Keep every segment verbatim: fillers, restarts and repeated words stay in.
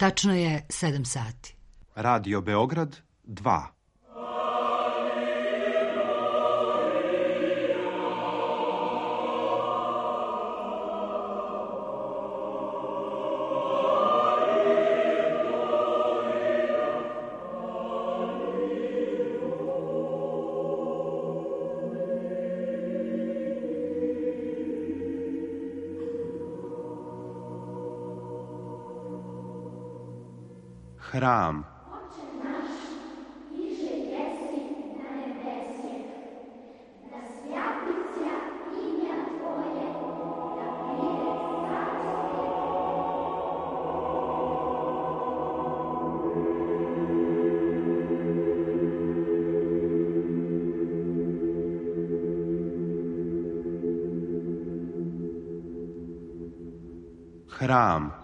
Tačno je sedam sati. Radio Beograd dva. Hram. Hram.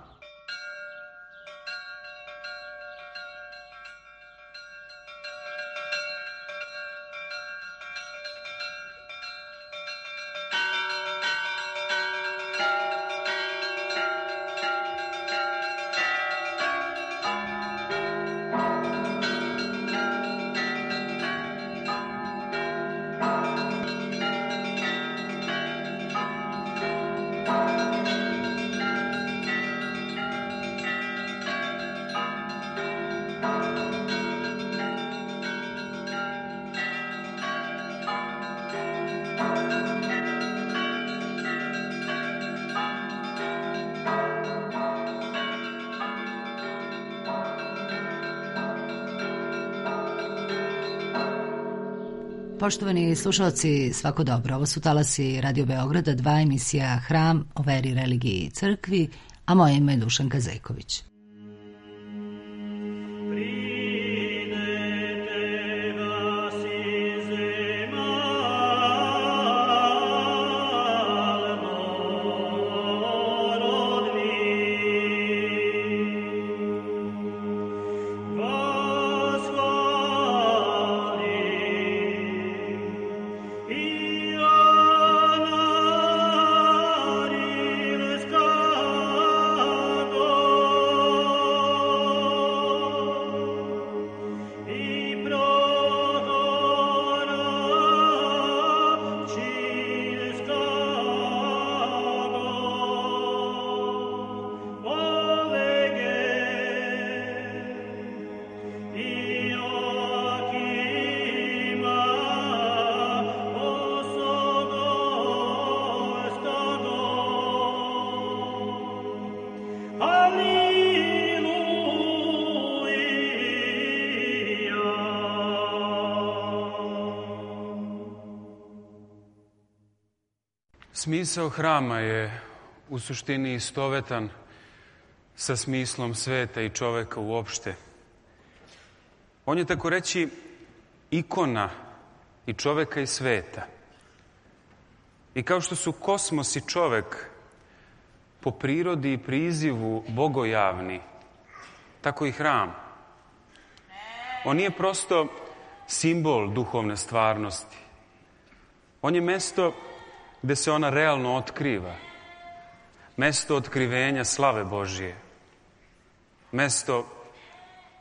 Poštovani slušalci, svako dobro. Ovo su talasi Radio Beograda, dva, emisija Hram o veri, religiji i crkvi, a moje ime je Dušanka Zejković. Smisao hrama je u suštini istovetan sa smislom sveta i čoveka uopšte. On je tako reći ikona i čoveka i sveta. I kao što su kosmos i čovek po prirodi i prizivu bogojavni, tako i hram. On nije prosto simbol duhovne stvarnosti. On je mesto gde se ona realno otkriva. Mesto otkrivenja slave Božije. Mesto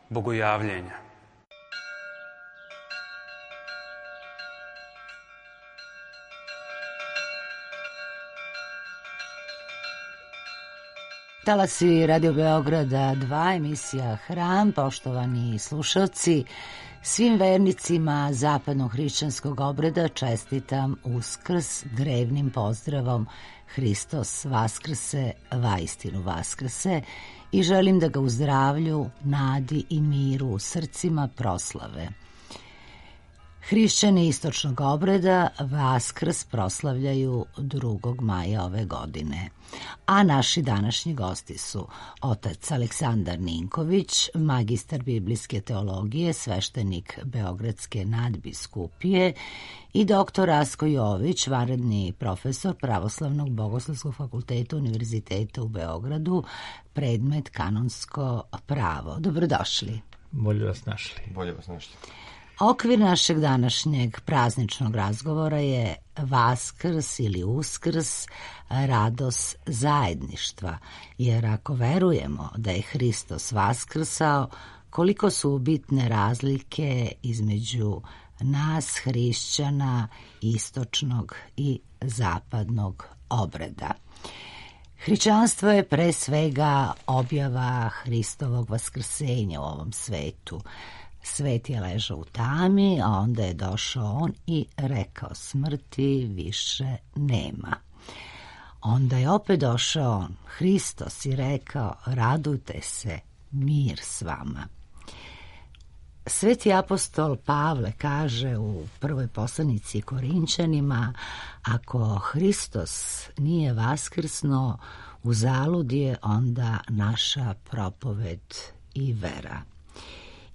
bogojavljenja. Talasi Radio Beograda dva, emisija Hram, poštovani slušalci, svim vernicima zapadnog hrišćanskog obreda čestitam Uskrs drevnim pozdravom Hristos Vaskrse, vaistinu Vaskrse, i želim da ga u zdravlju, nadi i miru u srcima proslave. Hrišćani istočnog obreda Vaskrs proslavljaju drugog maja ove godine. A naši današnji gosti su otac Aleksandar Ninković, magistar biblijske teologije, sveštenik Beogradske nadbiskupije, i doktor Rasko Jović, vanredni profesor Pravoslavnog bogoslovskog fakulteta Univerziteta u Beogradu, predmet kanonsko pravo. Dobrodošli. Bolje vas našli. Bolje vas našli. Okvir našeg današnjeg prazničnog razgovora je Vaskrs ili Uskrs, radost zajedništva, jer ako verujemo da je Hristos vaskrsao, koliko su bitne razlike između nas, hrišćana, istočnog i zapadnog obreda. Hrišćanstvo je pre svega objava Hristovog vaskrsenja u ovom svetu. Svet je ležao u tami, a onda je došao on i rekao smrti više nema. Onda je opet došao on, Hristos, i rekao radujte se, mir s vama. Sveti apostol Pavle kaže u prvoj poslanici Korinčanima, ako Hristos nije vaskrsno, uzalud je onda naša propoved i vera.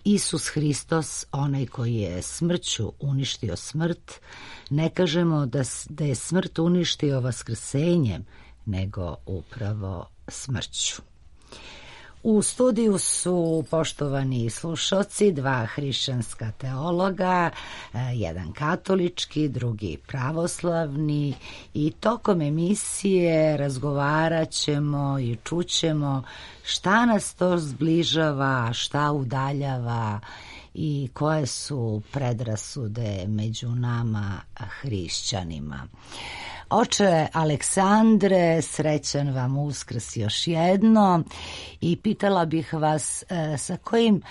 Isus Hristos, onaj koji je smrću uništio smrt, ne kažemo da, da je smrt uništio vaskrsenjem, nego upravo smrću. U studiju su, poštovani slušalci, dva hrišćanska teologa, jedan katolički, drugi pravoslavni, i tokom emisije razgovarat ćemo i čućemo šta nas to zbližava, šta udaljava i koje su predrasude među nama hrišćanima. Oče Aleksandre, srećan vam Uskrs još jedno, i pitala bih vas sa kojim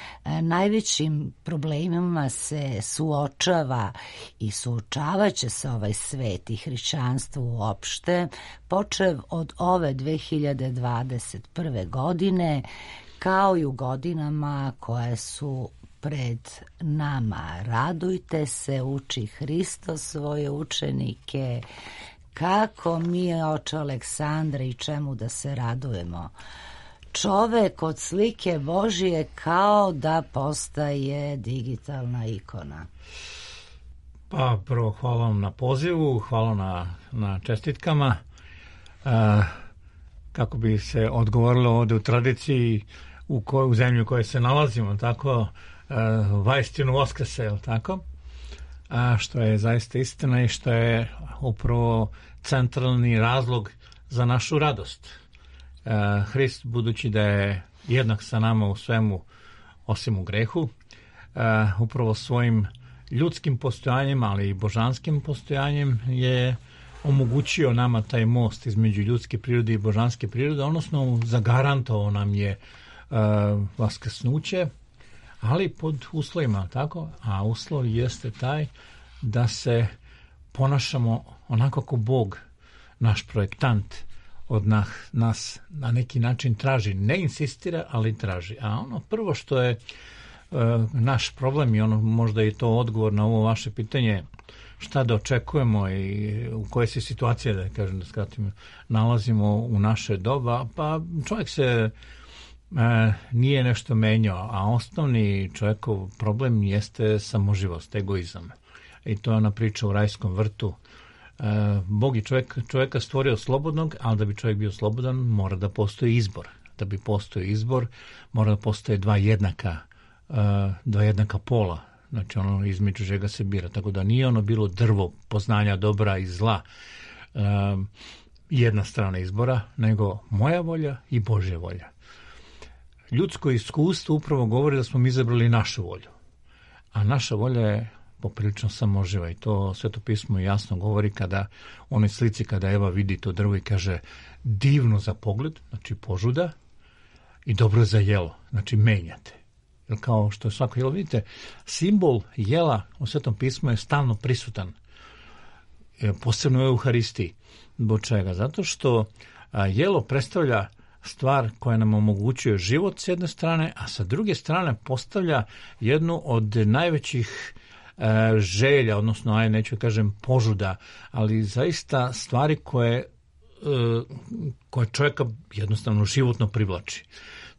najvećim problemima se suočava i suočavat će se ovaj svet i hrišćanstvo uopšte, počev od ove dve hiljade dvadeset prve. godine, kao i u godinama koje su pred nama. Radujte se, uči Hristos svoje učenike. Kako mi, oče Aleksandre, i čemu da se radujemo? Čovek od slike Božije kao da postaje digitalna ikona. Pa prvo hvala vam na pozivu, hvala na, na čestitkama. E, kako bi se odgovorilo ovde u tradiciji u, koj, u zemlji u kojoj se nalazimo, tako, e, vajstinu Voskrse, tako? A što je zaista istina i što je upravo centralni razlog za našu radost. E, Hrist, budući da je jednak sa nama u svemu osim u grehu, e, upravo svojim ljudskim postojanjem, ali i božanskim postojanjem je omogućio nama taj most između ljudske prirode i božanske prirode, odnosno zagarantovao nam je e, vaskrsnuće, ali pod uslovima, tako? A uslov jeste taj da se ponašamo onako kako Bog, naš projektant, od nas, nas na neki način traži. Ne insistira, ali traži. A ono prvo što je e, naš problem, i ono možda je to odgovor na ovo vaše pitanje, šta da očekujemo i u koje se situacije, da kažem, da skratim, nalazimo u naše doba, pa čovjek se E, nije nešto menjao, a osnovni čovjekov problem jeste samoživost, egoizam. I to je ona priča u rajskom vrtu. E, Bog je čovjek, čovjeka stvorio slobodnog, ali da bi čovjek bio slobodan, mora da postoji izbor. Da bi postoji izbor, mora da postoje dva jednaka, e, dva jednaka pola, znači ono između čega se bira. Tako da nije ono bilo drvo poznanja dobra i zla, e, jedna strana izbora, nego moja volja i Božja volja. Ljudsko iskustvo upravo govori da smo mi izabrali našu volju, a naša volja je poprilično samoživa i to Sveto pismo jasno govori kada u onoj slici kada Eva vidi to drvo i kaže divno za pogled, znači požuda, i dobro za jelo, znači menjate. Jer kao što je svako jelo, vidite, simbol jela u Svetom pismu je stalno prisutan, posebno u Euharistiji. Zbog čega? Zato što jelo predstavlja stvar koja nam omogućuje život s jedne strane, a sa druge strane postavlja jednu od najvećih e, želja, odnosno, aj neću kažem požuda, ali zaista stvari koje, e, koje čovjeka jednostavno životno privlači.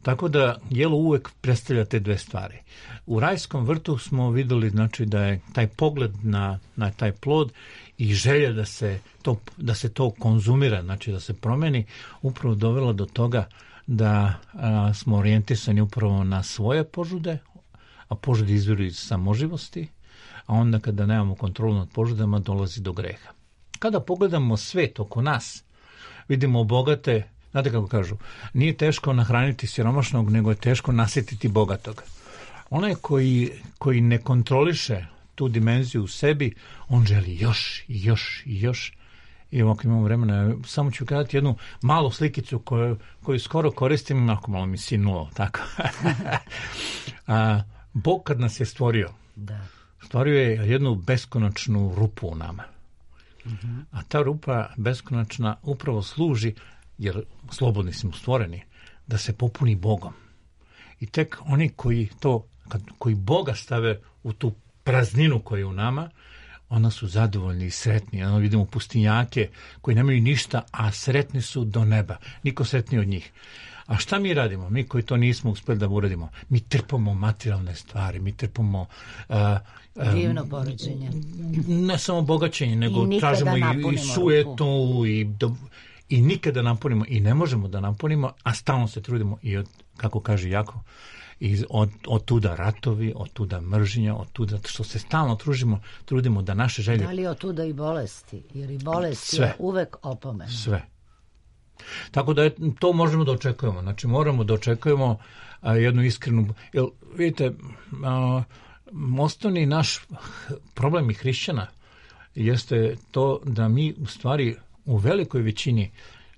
Tako da jelo uvek predstavlja te dve stvari. U rajskom vrtu smo videli, znači, da je taj pogled na, na taj plod i želja da se to, da se to konzumira, znači da se promeni, upravo dovela do toga da a, smo orijentisani upravo na svoje požude, a požude izviru iz samoživosti, a onda kada nemamo kontrolu nad požudama dolazi do greha. Kada pogledamo svet oko nas, vidimo bogate, znate kako kažu, nije teško nahraniti siromašnog, nego je teško nasjetiti bogatog. Onaj koji, koji ne kontroliše tu dimenziju u sebi, on želi još i još i još. I ako imamo vremena, samo ću kazati jednu malu slikicu koju, koju skoro koristim, ako malo mi sinulo, tako. A, Bog kad nas je stvorio, da. stvorio je jednu beskonačnu rupu u nama. Mm-hmm. A ta rupa beskonačna upravo služi, jer slobodni smo stvoreni, da se popuni Bogom. I tek oni koji to, kad, koji Boga stave u tu prazninu koja je u nama, onda su zadovoljni i sretni. Onda vidimo pustinjake koji nemaju ništa, a sretni su do neba. Niko sretniji od njih. A šta mi radimo? Mi koji to nismo uspjeli da uradimo, mi trpamo materijalne stvari, mi trpamo uh, uh, divno poređenje. Ne samo bogaćenje, nego I tražimo i, i sujetu i, do, i nikada napunimo i ne možemo da napunimo, a stalno se trudimo i od, kako kaže Jakov, i od, od tuda ratovi, od tuda mržnja, od tuda što se stalno tružimo, trudimo da naše želje... Da li od tuda i bolesti? Jer i bolest Sve. je uvek opomena. Sve. Tako da je, to možemo da očekujemo. Znači moramo da očekujemo a, jednu iskrenu... Jer, vidite, a, osnovni naš problem i hrišćana jeste to da mi u stvari u velikoj većini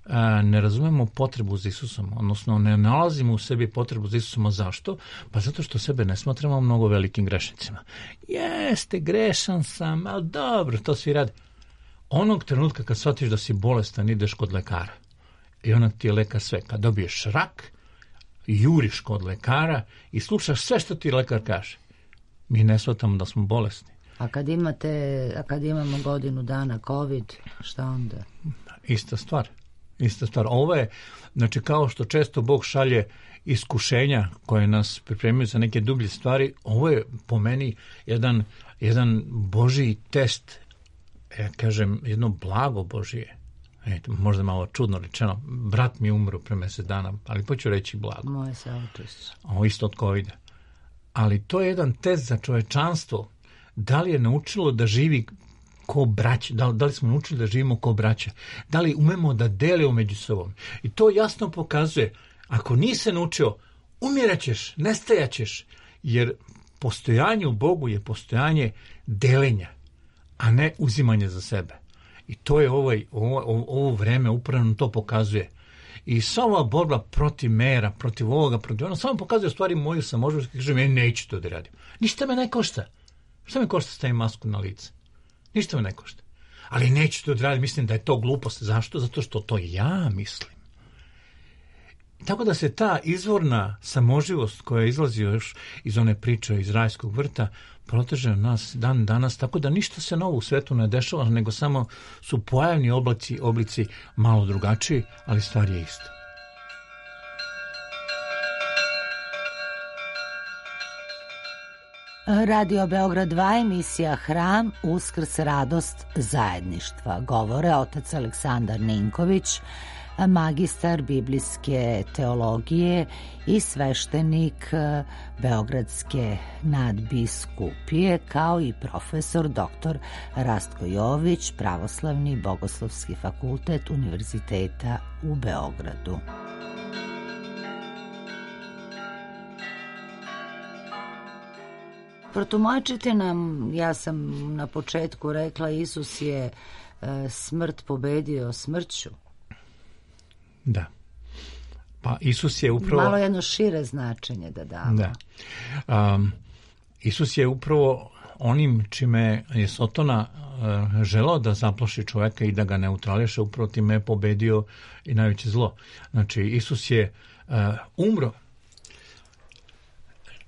a, ne razumemo potrebu za Isusom, odnosno ne nalazimo u sebi potrebu za Isusom. Zašto? Pa zato što sebe ne smatramo mnogo velikim grešnicima. Jeste, grešan sam, ali dobro, to svi rade. Onog trenutka kad shvatiš da si bolestan, ideš kod lekara. I onak ti je lekar sve. Kad dobiješ rak, juriš kod lekara i slušaš sve što ti lekar kaže. Mi ne shvatamo da smo bolesni. A kad imate, a kad imamo godinu dana COVID, šta onda? Ista stvar. Ista stvar. Ovo je, znači kao što često Bog šalje iskušenja koje nas pripremaju za neke dublje stvari, ovo je po meni jedan, jedan Božji test, ja kažem, jedno blago Božije. Ejte, možda malo čudno rečeno, brat mi je umro pre mesec dana, ali poću reći blago. Moje saučešće. Ovo isto od covida. Ali to je jedan test za čovečanstvo. Da li je naučilo da živi ko braća? Da, da li smo naučili da živimo ko braća? Da li umemo da delimo među sobom? I to jasno pokazuje, ako nisi naučio, umiraćeš, nestajaćeš, jer postojanje u Bogu je postojanje delenja, a ne uzimanje za sebe. I to je ovaj, ovo, ovo vreme upravo to pokazuje. I sva ova borba protiv mera, protiv ovoga, protiv ono, samo pokazuje u stvari moju samoživnost, kažem, ja neću to da radim. Ništa me ne košta. Šta me košta stavim masku na lice? Ništa me ne košta. Ali neću to da radim, mislim da je to glupost. Zašto? Zato što to ja mislim. Tako da se ta izvorna samoživost koja izlazi još iz one priče iz rajskog vrta proteže nas dan danas, tako da ništa se novo u svetu ne dešava, nego samo su pojavni oblici, oblici malo drugačiji, ali stvar je ista. Radio Beograd dva, emisija Hram, Uskrs, radost zajedništva. Govore otac Aleksandar Ninković, magistar biblijske teologije i sveštenik Beogradske nadbiskupije, kao i profesor doktor Rastko Jović, Pravoslavni bogoslovski fakultet Univerziteta u Beogradu. Protumačite nam, ja sam na početku rekla, Isus je e, smrt pobedio smrću. Da. Pa Isus je upravo... Malo jedno šire značenje da damo. Da. Um, Isus je upravo onim čime je Sotona uh, želao da zaplaši čoveka i da ga neutrališe, upravo time je pobedio i najveće zlo. Znači, Isus je uh, umro.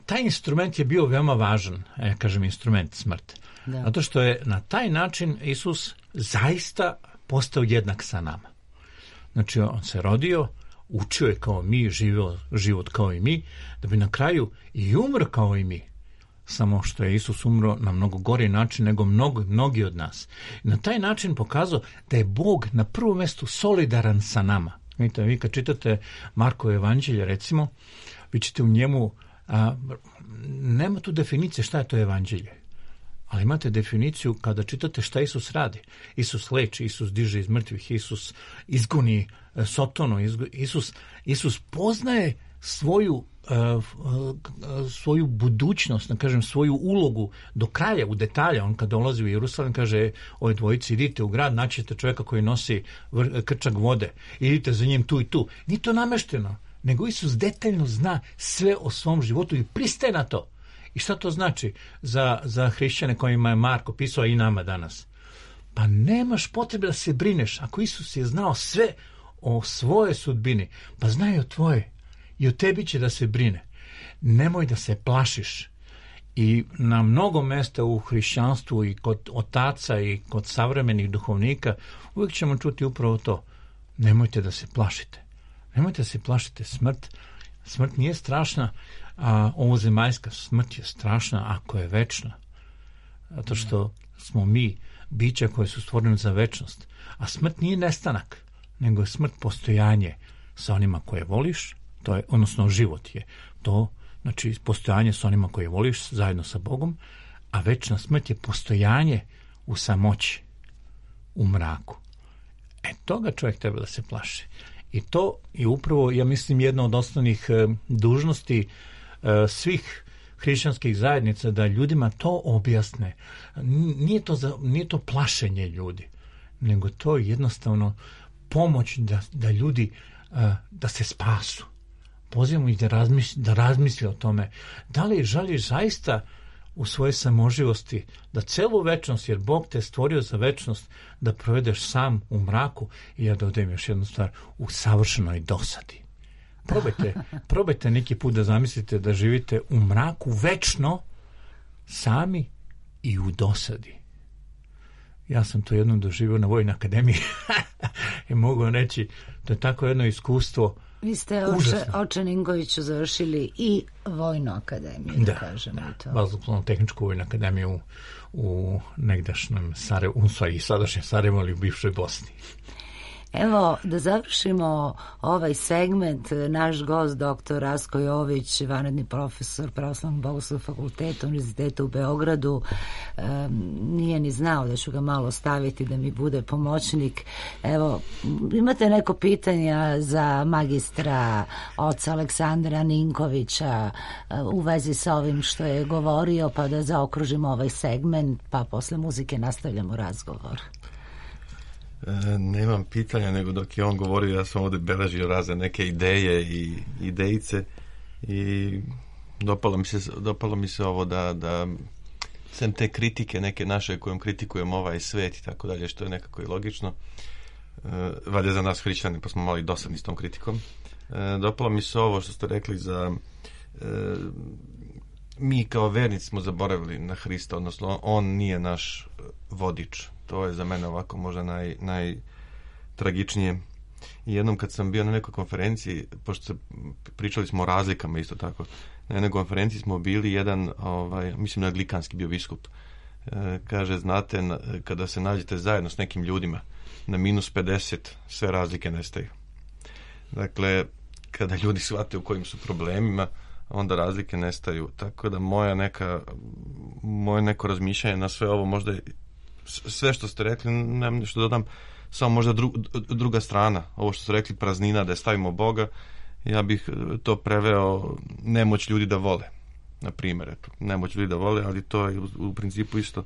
Taj instrument je bio veoma važan, ja kažem instrument smrt. Da. Zato što je na taj način Isus zaista postao jednak sa nama. Znači, on se rodio, učio je kao mi, živio život kao i mi, da bi na kraju i umro kao i mi. Samo što je Isus umro na mnogo gori način nego mnogo, mnogi od nas. I na taj način pokazao da je Bog na prvom mjestu solidaran sa nama. Vidite, vi kad čitate Markovo evanđelje, recimo, vi ćete u njemu, a, nema tu definicije šta je to evanđelje. Ali imate definiciju kada čitate šta Isus radi. Isus leči, Isus diže iz mrtvih, Isus izgoni Sotonu, Isus, Isus poznaje svoju, uh, uh, svoju budućnost, da kažem, svoju ulogu do kraja, u detalja. On kada dolazi u Jerusalim kaže, ove dvojici, idite u grad, naćete čovjeka koji nosi vr- krčak vode, idite za njim tu i tu. Nije to namešteno, nego Isus detaljno zna sve o svom životu i pristaje na to. I šta to znači za, za hrišćane kojima je Marko pisao, i nama danas? Pa nemaš potrebe da se brineš. Ako Isus je znao sve o svojoj sudbini, pa zna i o tvoje. I o tebi će da se brine. Nemoj da se plašiš. I na mnogo mesta u hrišćanstvu i kod otaca i kod savremenih duhovnika uvijek ćemo čuti upravo to. Nemojte da se plašite. Nemojte da se plašite. Smrt, smrt nije strašna, a ovozemaljska smrt je strašna ako je večna. Zato što smo mi bića koje su stvorene za večnost. A smrt nije nestanak, nego je smrt postojanje sa onima koje voliš, to je, odnosno život je to, znači postojanje sa onima koje voliš zajedno sa Bogom, a večna smrt je postojanje u samoći, u mraku. E, toga čovjek treba da se plaši. I to je upravo, ja mislim, jedna od osnovnih e, dužnosti e, svih hrišćanskih zajednica, da ljudima to objasne. Nije to, za, nije to plašenje ljudi, nego to je jednostavno pomoć da, da ljudi uh, da se spasu. Pozivamo ih da razmisli, da razmisli o tome. Da li želiš zaista u svojoj samoživosti da celu večnost, jer Bog te stvorio za večnost, da provedeš sam u mraku, i ja dodajem još jednu stvar, u savršenoj dosadi. Probajte, probajte neki put da zamislite da živite u mraku večno, sami i u dosadi. Ja sam to jednom doživio na Vojnoj akademiji i mogu vam reći, to je tako jedno iskustvo. Vi ste oče, oče Ninkoviću završili i Vojnu akademiju, da, da kažemo da, to. Vazduhoplovnu tehničku Vojnu akademiju u, u negdašnjem Sarajevu, i sadašnjem Sarajevu, ali u bivšoj Bosni. Evo, da završimo ovaj segment, naš gost, doktor Rasko Jović, vanredni profesor Pravoslavnog bogoslovnog fakulteta Univerziteta u Beogradu, um, nije ni znao da ću ga malo staviti da mi bude pomoćnik. Evo, imate neko pitanja za magistra oca Aleksandra Ninkovića uh, u vezi sa ovim što je govorio, pa da zaokružimo ovaj segment, pa posle muzike nastavljamo razgovor. E, nemam pitanja, nego dok je on govorio, ja sam ovdje beležio razne neke ideje i idejice i dopalo mi se, dopalo mi se ovo da, da sem te kritike neke naše kojom kritikujemo ovaj svet i tako dalje, što je nekako i logično, e, valjda za nas hrišćani, pa smo malo i dosadni s tom kritikom. E, dopalo mi se ovo što ste rekli za e, mi kao vernici smo zaboravili na Hrista, odnosno on nije naš vodič. To je za mene ovako možda naj, najtragičnije. I jednom kad sam bio na nekoj konferenciji, pošto se, pričali smo o razlikama isto tako, na jednoj konferenciji smo bili jedan, ovaj, mislim na anglikanski bio biskup, e, kaže, znate, na, kada se nađete zajedno s nekim ljudima na minus pedeset, sve razlike nestaju. Dakle, kada ljudi shvate u kojim su problemima, onda razlike nestaju. Tako da moja neka, moje neko razmišljanje na sve ovo, možda sve što ste rekli, nemam nešto dodam, samo možda dru, druga strana, ovo što ste rekli, praznina, da je stavimo Boga, ja bih to preveo nemoć ljudi da vole, na primjer, eto, nemoć ljudi da vole, ali to je u, u principu isto,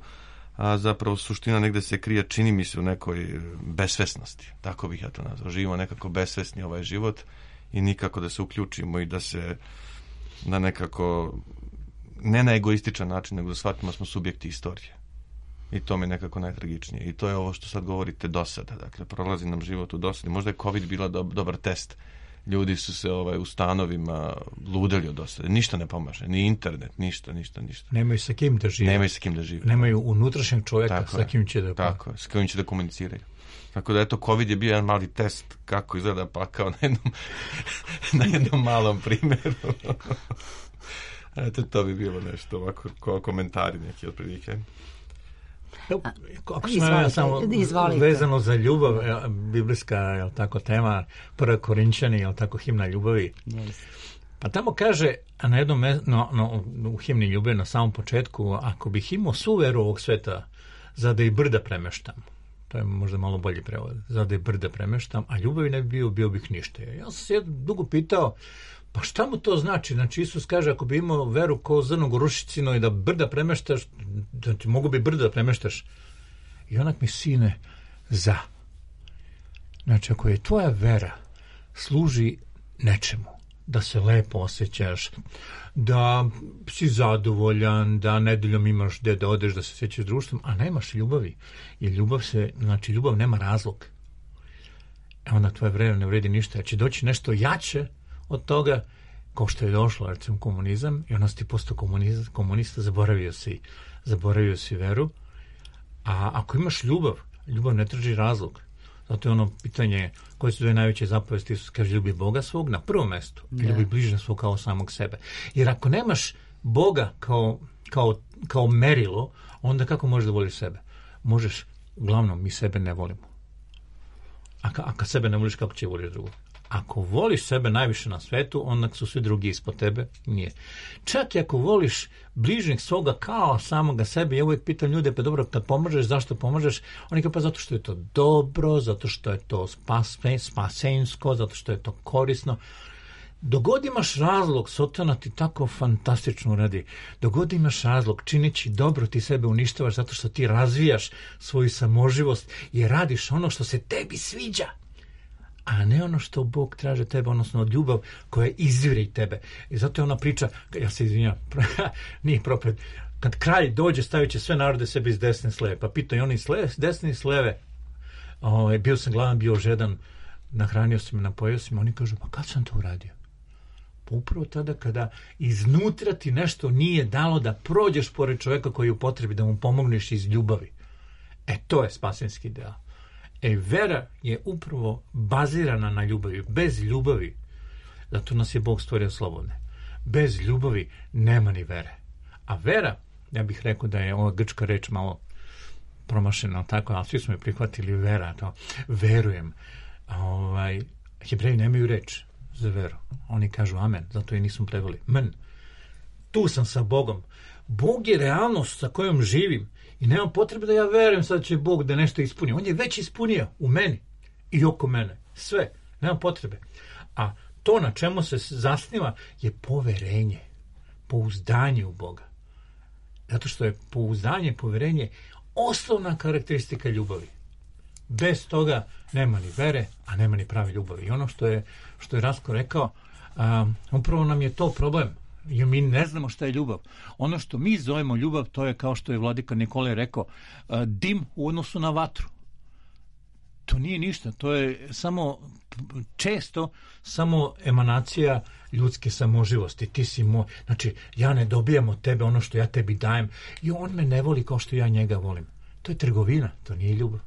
a zapravo suština negde se krije, čini mi se, u nekoj besvesnosti, tako bih ja to nazvao, živimo nekako besvesni ovaj život i nikako da se uključimo i da se da nekako, ne na egoističan način, nego da shvatimo smo subjekti istorije. I to mi je nekako najtragičnije. I to je ovo što sad govorite, dosada. Dakle, prolazi nam život u dosadi. Možda je COVID bila dob, dobar test. Ljudi su se ovaj, u stanovima ludeli od dosade. Ništa ne pomaže. Ni internet, ništa, ništa, ništa. Nemaju sa kim da žive. Nemaju sa kim da žive. Nemaju unutrašnjeg čovjeka tako sa kim će da... Tako je, s kojim će da komuniciraju. Tako da, eto, COVID je bio jedan mali test kako izgleda pakao na jednom, na jednom malom primjeru. Eto, to bi bilo nešto ovako, ko komentari neki otprilike. Ako smo ja samo vezano za ljubav, biblijska, je tako, tema, prva Korinčani, je tako, himna ljubavi. Yes. Pa tamo kaže, a na jednom no, no, u himni ljubavi na samom početku, ako bih imao svu veru ovog sveta, za da i brda premeštam. To je možda malo bolji prevod. Za da i brda premeštam, a ljubavi ne bi bio, bio bih ništa. Ja sam se dugo pitao, pa šta mu to znači? Znači, Isus kaže, ako bi imao veru kao zrno gorušicino i da brda premeštaš, da ti mogu bi brda da premeštaš. I onak mi, sine, za. Znači, ako je tvoja vera služi nečemu, da se lepo osjećaš, da si zadovoljan, da nedeljom imaš gde da odeš, da se sjećaš društvom, a nemaš ljubavi. Jer ljubav se, znači, ljubav nema razlog. E onda tvoja vera ne vredi ništa. Jer će doći nešto jače od toga, kao što je došlo, recimo, komunizam, i onda si ti postao komunista, komunista, zaboravio si, zaboravio si veru. A ako imaš ljubav, ljubav ne traži razlog. Zato je ono pitanje, koje su dve najveće zapovesti, Isus kaže, ljubi Boga svog na prvom mestu, i ljubi bližnjeg svog kao samog sebe. Jer ako nemaš Boga kao, kao, kao merilo, onda kako možeš da voliš sebe? Možeš, uglavnom, mi sebe ne volimo. A, ka, a kad sebe ne voliš, kako će voliš drugo? Ako voliš sebe najviše na svetu, onda su svi drugi ispod tebe, nije. Čak i ako voliš bližnjeg svoga kao samoga sebe, ja uvijek pitam ljude, pa dobro, kad pomažeš, zašto pomažeš? Oni kao, pa zato što je to dobro, zato što je to spas, spasensko, zato što je to korisno. Dogod imaš razlog, Sotona ti tako fantastično uradi. Dogod imaš razlog, činići dobro, ti sebe uništavaš zato što ti razvijaš svoju samoživost i radiš ono što se tebi sviđa, a ne ono što Bog traže tebe, odnosno od ljubav koja izvire i tebe. I zato je ona priča, ja se izvinjam, nije propred, kad kralj dođe, stavit će sve narode sebi iz desne s leve, pa pita i oni s, leve, s desne i s leve, o, bio sam gladan, bio žedan, nahranio sam me, napojio sam, oni kažu, pa kad sam to uradio? Pa upravo tada kada iznutra ti nešto nije dalo da prođeš pored čoveka koji je u potrebi, da mu pomogneš iz ljubavi. E, to je spasenski deo. E, vera je upravo bazirana na ljubavi. Bez ljubavi, zato nas je Bog stvorio slobodne, bez ljubavi nema ni vere. A vera, ja bih rekao da je ova grčka reč malo promašena, tako, ali svi smo je prihvatili vera, to, verujem. Ovaj, Hebreji nemaju reč za veru. Oni kažu amen, zato i nismo preveli. Men, tu sam sa Bogom. Bog je realnost sa kojom živim i nemam potrebe da ja verujem sad će Bog da nešto ispuni. On je već ispunio u meni i oko mene. Sve. Nemam potrebe. A to na čemu se zasniva je poverenje. Pouzdanje u Boga. Zato što je pouzdanje, poverenje osnovna karakteristika ljubavi. Bez toga nema ni vere, a nema ni prave ljubavi. I ono što je, što je Rasko rekao, um, upravo nam je to problem. Jer mi ne znamo šta je ljubav. Ono što mi zovemo ljubav, to je, kao što je vladika Nikolaj rekao, dim u odnosu na vatru. To nije ništa, to je samo često samo emanacija ljudske samoživosti. Ti si moj, znači ja ne dobijam od tebe ono što ja tebi dajem i on me ne voli kao što ja njega volim. To je trgovina, to nije ljubav.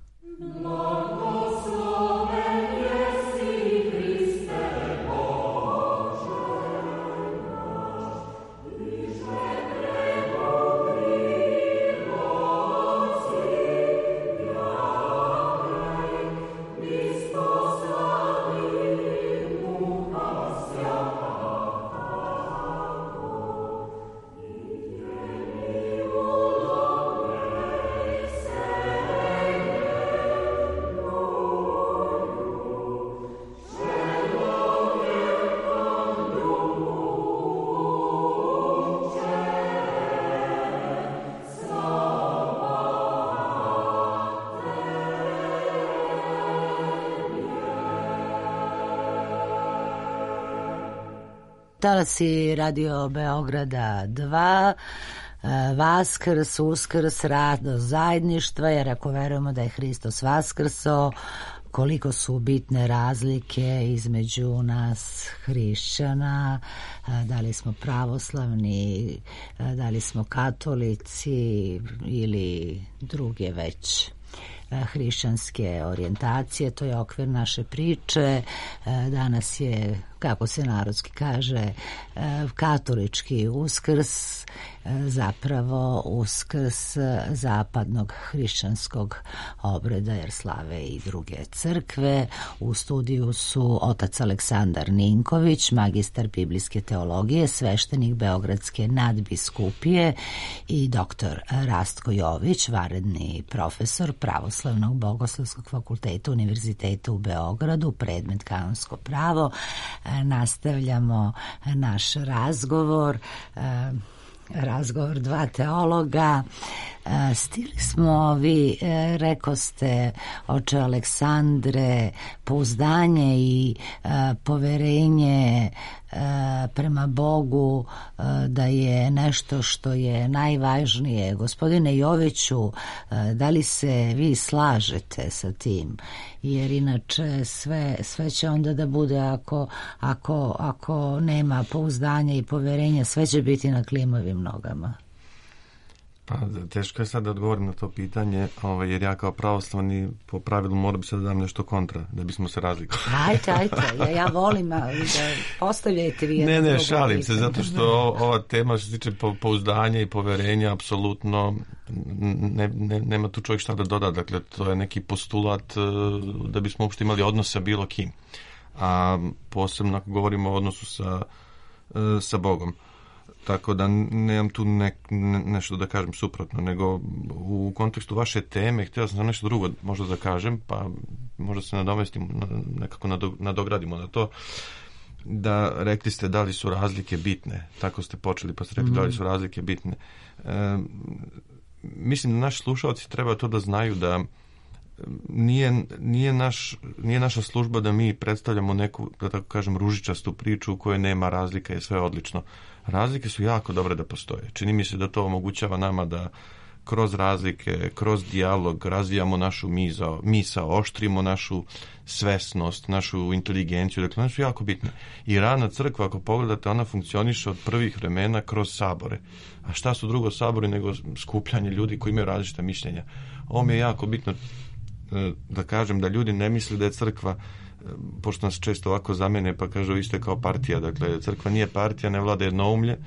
Talasi Radio Beograda dva, Vaskrs, Uskrs, radost zajedništva, jer ako verujemo da je Hristos vaskrso, koliko su bitne razlike između nas hrišćana, da li smo pravoslavni, da li smo katolici ili druge već hrišćanske orijentacije. To je okvir naše priče. Danas je kako se narodski kaže, katolički Uskrs, zapravo Uskrs zapadnog hrišćanskog obreda, jer slave i druge crkve. U studiju su otac Aleksandar Ninković, magistar biblijske teologije, sveštenik Beogradske nadbiskupije, i doktor Rastko Jović, vanredni profesor Pravoslavnog bogoslovskog fakulteta Univerziteta u Beogradu, predmet kanonsko pravo. Nastavljamo naš razgovor. Razgovor dva teologa. Stigli smo, vi rekoste, oče Aleksandre, pouzdanje i poverenje prema Bogu da je nešto što je najvažnije. Gospodine Joviću, da li se vi slažete sa tim? Jer inače sve, sve će onda da bude, ako, ako, ako nema pouzdanja i poverenja, sve će biti na klimavim nogama. Pa teško je sad da odgovorim na to pitanje, ovaj, jer ja kao pravoslavni po pravilu moram se da dam nešto kontra, da bismo se razlikovali. Ajte, ajte, ja, ja volim da postavljajte vi. Ne, ne, šalim se, zato što ova tema što se tiče pouzdanja i poverenja, apsolutno ne, ne, nema tu čovjek šta da doda, dakle to je neki postulat da bismo uopšte imali odnos sa bilo kim. A posebno ako govorimo o odnosu sa, sa Bogom. Tako da nemam tu ne, ne, nešto da kažem suprotno, nego u kontekstu vaše teme htio sam nešto drugo možda da kažem, pa možda se nadomestimo, nekako nadogradimo na to, da rekli ste da li su razlike bitne, tako ste počeli pa ste rekli mm-hmm. da li su razlike bitne. E, mislim da naši slušalci treba to da znaju da nije, nije, naš, nije naša služba da mi predstavljamo neku, da tako kažem, ružičastu priču u kojoj nema razlika i sve odlično. Razlike su jako dobre da postoje. Čini mi se da to omogućava nama da kroz razlike, kroz dijalog razvijamo našu misao, misao, oštrimo našu svesnost, našu inteligenciju. Dakle, one su jako bitne. I rana crkva, ako pogledate, ona funkcioniše od prvih vremena kroz sabore. A šta su drugo sabori nego skupljanje ljudi koji imaju različita mišljenja? Ovo mi je jako bitno da kažem, da ljudi ne misle da je crkva, pošto nas često ovako zamene pa kažu isto kao partija, dakle crkva nije partija, ne vlada jednoumlje,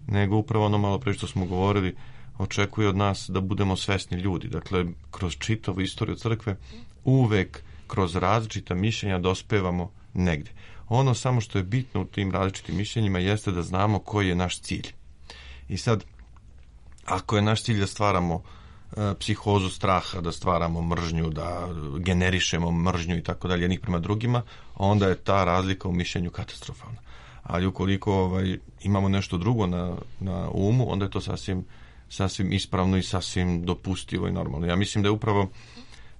nego upravo ono malo pre što smo govorili, očekuje od nas da budemo svesni ljudi. Dakle, kroz čitavu istoriju crkve uvek kroz različita mišljenja dospevamo negde. Ono samo što je bitno u tim različitim mišljenjima jeste da znamo koji je naš cilj. I sad, ako je naš cilj da stvaramo psihozu straha, da stvaramo mržnju, da generišemo mržnju i tako dalje jednih prema drugima, onda je ta razlika u mišljenju katastrofalna. Ali ukoliko ovaj, imamo nešto drugo na, na umu, onda je to sasvim, sasvim ispravno i sasvim dopustivo i normalno. Ja mislim da je upravo,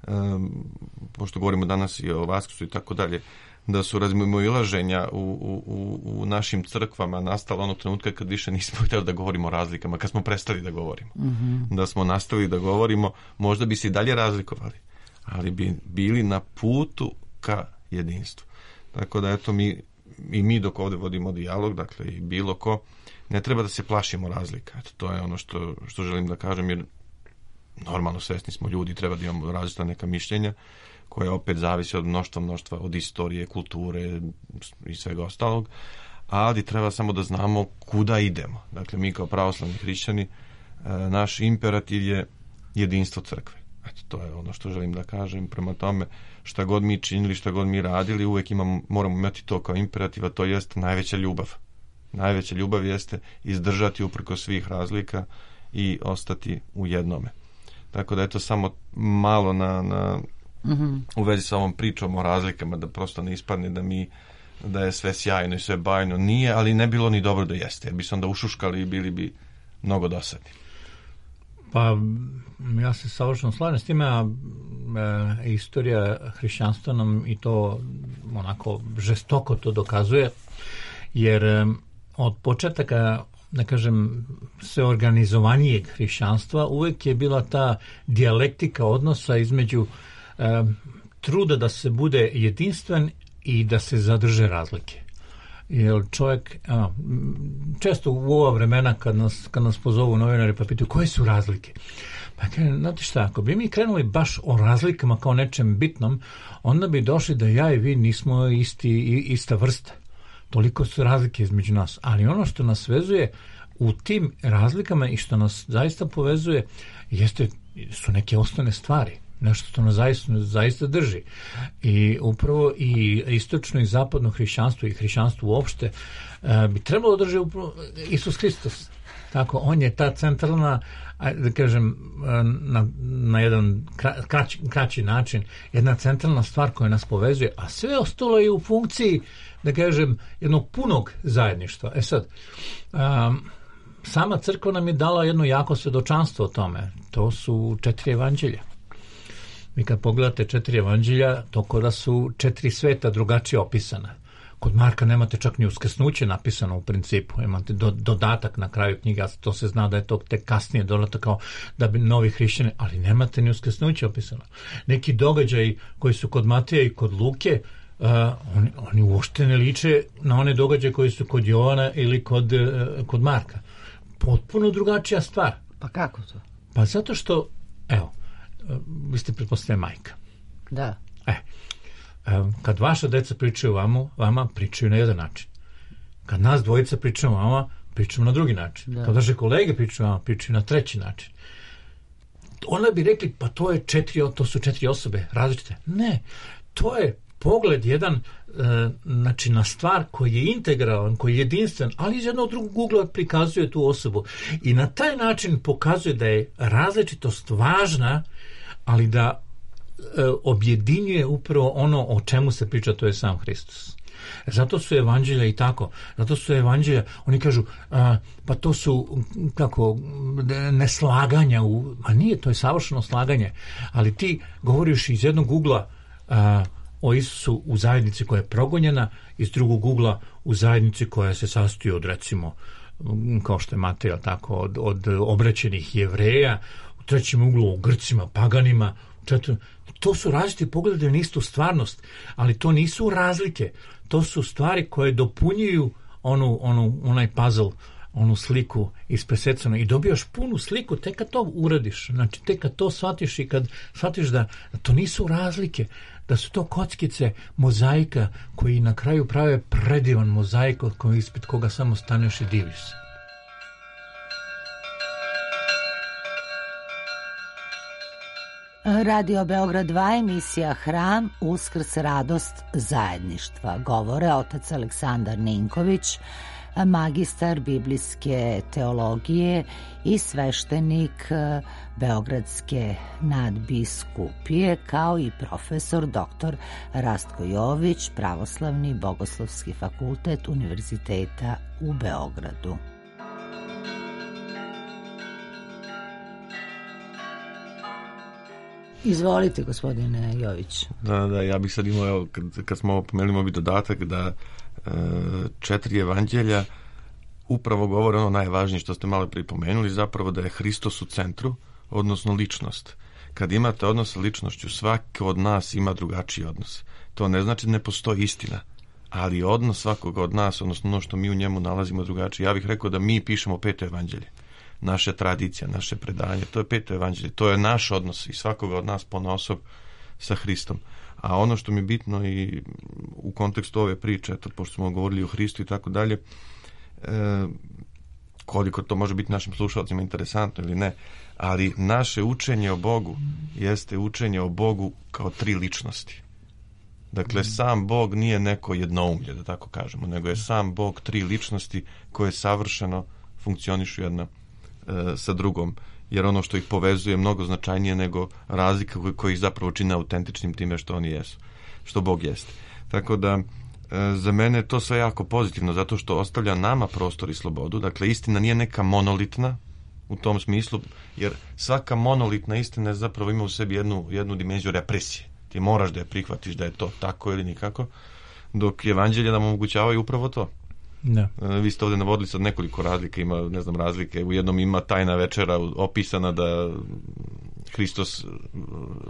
um, pošto govorimo danas i o Vaskrsu i tako dalje, da su razmimoilaženja u, u, u našim crkvama nastala onog trenutka kad više nismo htjeli da govorimo o razlikama, kad smo prestali da govorimo. Mm-hmm. Da smo nastavili da govorimo, možda bi se i dalje razlikovali, ali bi bili na putu ka jedinstvu. Tako da eto mi, i mi dok ovdje vodimo dijalog, dakle i bilo ko, ne treba da se plašimo razlika. Eto, to je ono što, što želim da kažem, jer normalno svesni smo ljudi, treba da imamo različita neka mišljenja, koja opet zavisi od mnoštva, mnoštva, od istorije, kulture i svega ostalog, ali treba samo da znamo kuda idemo. Dakle, mi kao pravoslavni hrišćani, naš imperativ je jedinstvo crkve. Eto, to je ono što želim da kažem. Prema tome, šta god mi činili, šta god mi radili, uvek imamo, moramo imati to kao imperativ, a to jeste najveća ljubav. Najveća ljubav jeste izdržati uprko svih razlika i ostati u jednome. Tako da je to samo malo na... na Mm-hmm. u vezi sa ovom pričom o razlikama, da prosto ne ispadne da mi da je sve sjajno i sve bajno. Nije, ali ne bilo ni dobro da jeste, jer bi se onda ušuškali i bili bi mnogo dosadni. Pa ja se savršeno slažem s time, a e, istorija hrišćanstva nam i to onako žestoko to dokazuje, jer e, od početaka, da kažem, sve organizovanijeg hrišćanstva uvek je bila ta dijalektika odnosa između e, truda da se bude jedinstven i da se zadrže razlike. Jer čovjek, a, često u ova vremena kad nas, kad nas pozovu novinari pa pitaju koje su razlike, pa kažem, znate šta, ako bi mi krenuli baš o razlikama kao nečem bitnom, onda bi došli da ja i vi nismo isti, ista vrsta. toliko su razlike između nas, ali ono što nas vezuje u tim razlikama i što nas zaista povezuje jeste, su neke osnovne stvari, nešto što nas zaista, zaista drži. I upravo i istočno i zapadno hrišćanstvo i hrišćanstvo uopšte uh, bi trebalo drži upravo Isus Hristos. Tako, on je ta centralna, da kažem, na, na jedan kraći, kraći način, jedna centralna stvar koja nas povezuje, a sve ostalo je u funkciji, da kažem, jednog punog zajedništva. E sad, um, sama crkva nam je dala jedno jako svedočanstvo o tome. To su četiri evanđelja. Vi kad pogledate četiri evanđelja, to kao da su četiri sveta drugačije opisana. Kod Marka nemate čak ni uskrsnuće napisano u principu, imate do, dodatak na kraju knjiga, to se zna da je to tek kasnije dodatak kao da bi novi hrišćani, ali nemate ni uskrsnuće opisano. Neki događaji koji su kod Mateja i kod Luke, uh, oni, oni uopšte ne liče na one događaje koji su kod Jovana ili kod, uh, kod Marka. Potpuno drugačija stvar. Pa kako to? Pa zato što, evo, uh, vi ste pretpostavljeni majka. Da. E, kad vaša deca pričaju vama, vama pričaju na jedan način. Kad nas dvojica pričamo vama, pričamo na drugi način. Da. Kad vaše kolege pričaju vama, pričaju na treći način. Onda bi rekli, pa to je četiri, to su četiri osobe različite. Ne, to je pogled jedan e, znači na stvar koji je integralan, koji je jedinstven, ali iz jednog drugog ugla prikazuje tu osobu. I na taj način pokazuje da je različitost važna, ali da objedinjuje upravo ono o čemu se priča, to je sam Hristos. Zato su evanđelja i tako. Zato su evanđelja, oni kažu, a, pa to su kako neslaganja u, a nije, to je savršeno slaganje. Ali ti govoriš iz jednog ugla a, o Isusu u zajednici koja je progonjena, iz drugog ugla u zajednici koja se sastoji od, recimo, kao što je Matej, tako, od, od obraćenih Jevreja, u trećem uglu o Grcima, paganima, četvrtom. To su različiti pogledi na istu stvarnost, ali to nisu razlike. To su stvari koje dopunjuju onu, onu, onaj puzzle, onu sliku ispresecanu i dobijaš punu sliku tek kad to uradiš. Znači, tek kad to shvatiš i kad shvatiš da, da to nisu razlike, da su to kockice mozaika koji na kraju prave predivan mozaik od koji ispred koga samo staneš i diviš se. Radio Beograd dva, emisija Hram, Uskrs, radost zajedništva. Govore otac Aleksandar Ninković, magistar biblijske teologije i sveštenik Beogradske nadbiskupije, kao i profesor doktor Rastko Jović, Pravoslavni bogoslovski fakultet Univerziteta u Beogradu. Izvolite, gospodine Jović. Da, da, ja bih sad imao, evo, kad, kad smo pomenuli ovi dodatak, da e, četiri evanđelja upravo govore ono najvažnije što ste malo pripomenuli, zapravo da je Hristos u centru, odnosno ličnost. Kad imate odnos sa ličnošću, svaki od nas ima drugačiji odnos. To ne znači da ne postoji istina, ali odnos svakog od nas, odnosno ono što mi u njemu nalazimo drugačije. Ja bih rekao da mi pišemo peto evanđelje. Naša tradicija, naše predanje, to je peto evanđelje, to je naš odnos i svakoga od nas ponaosob sa Hristom. A ono što mi je bitno i u kontekstu ove priče, eto, pošto smo govorili o Hristu i tako dalje, e, koliko to može biti našim slušalcima interesantno ili ne, ali naše učenje o Bogu jeste učenje o Bogu kao tri ličnosti. Dakle, sam Bog nije neko jednoumlje, da tako kažemo, nego je sam Bog tri ličnosti koje savršeno funkcionišu jedna sa drugom, jer ono što ih povezuje je mnogo značajnije nego razlika koji ih zapravo čine autentičnim time što oni jesu, što Bog jeste. Tako da za mene je to sve jako pozitivno, zato što ostavlja nama prostor i slobodu. Dakle, istina nije neka monolitna u tom smislu, jer svaka monolitna istina zapravo ima u sebi jednu, jednu dimenziju represije. Ti moraš da je prihvatiš da je to tako ili nikako, dok evanđelje nam omogućavaju upravo to. Da. Vi ste ovdje navodili sad nekoliko razlika, ima, ne znam, razlike. U jednom ima tajna večera opisana da Hristos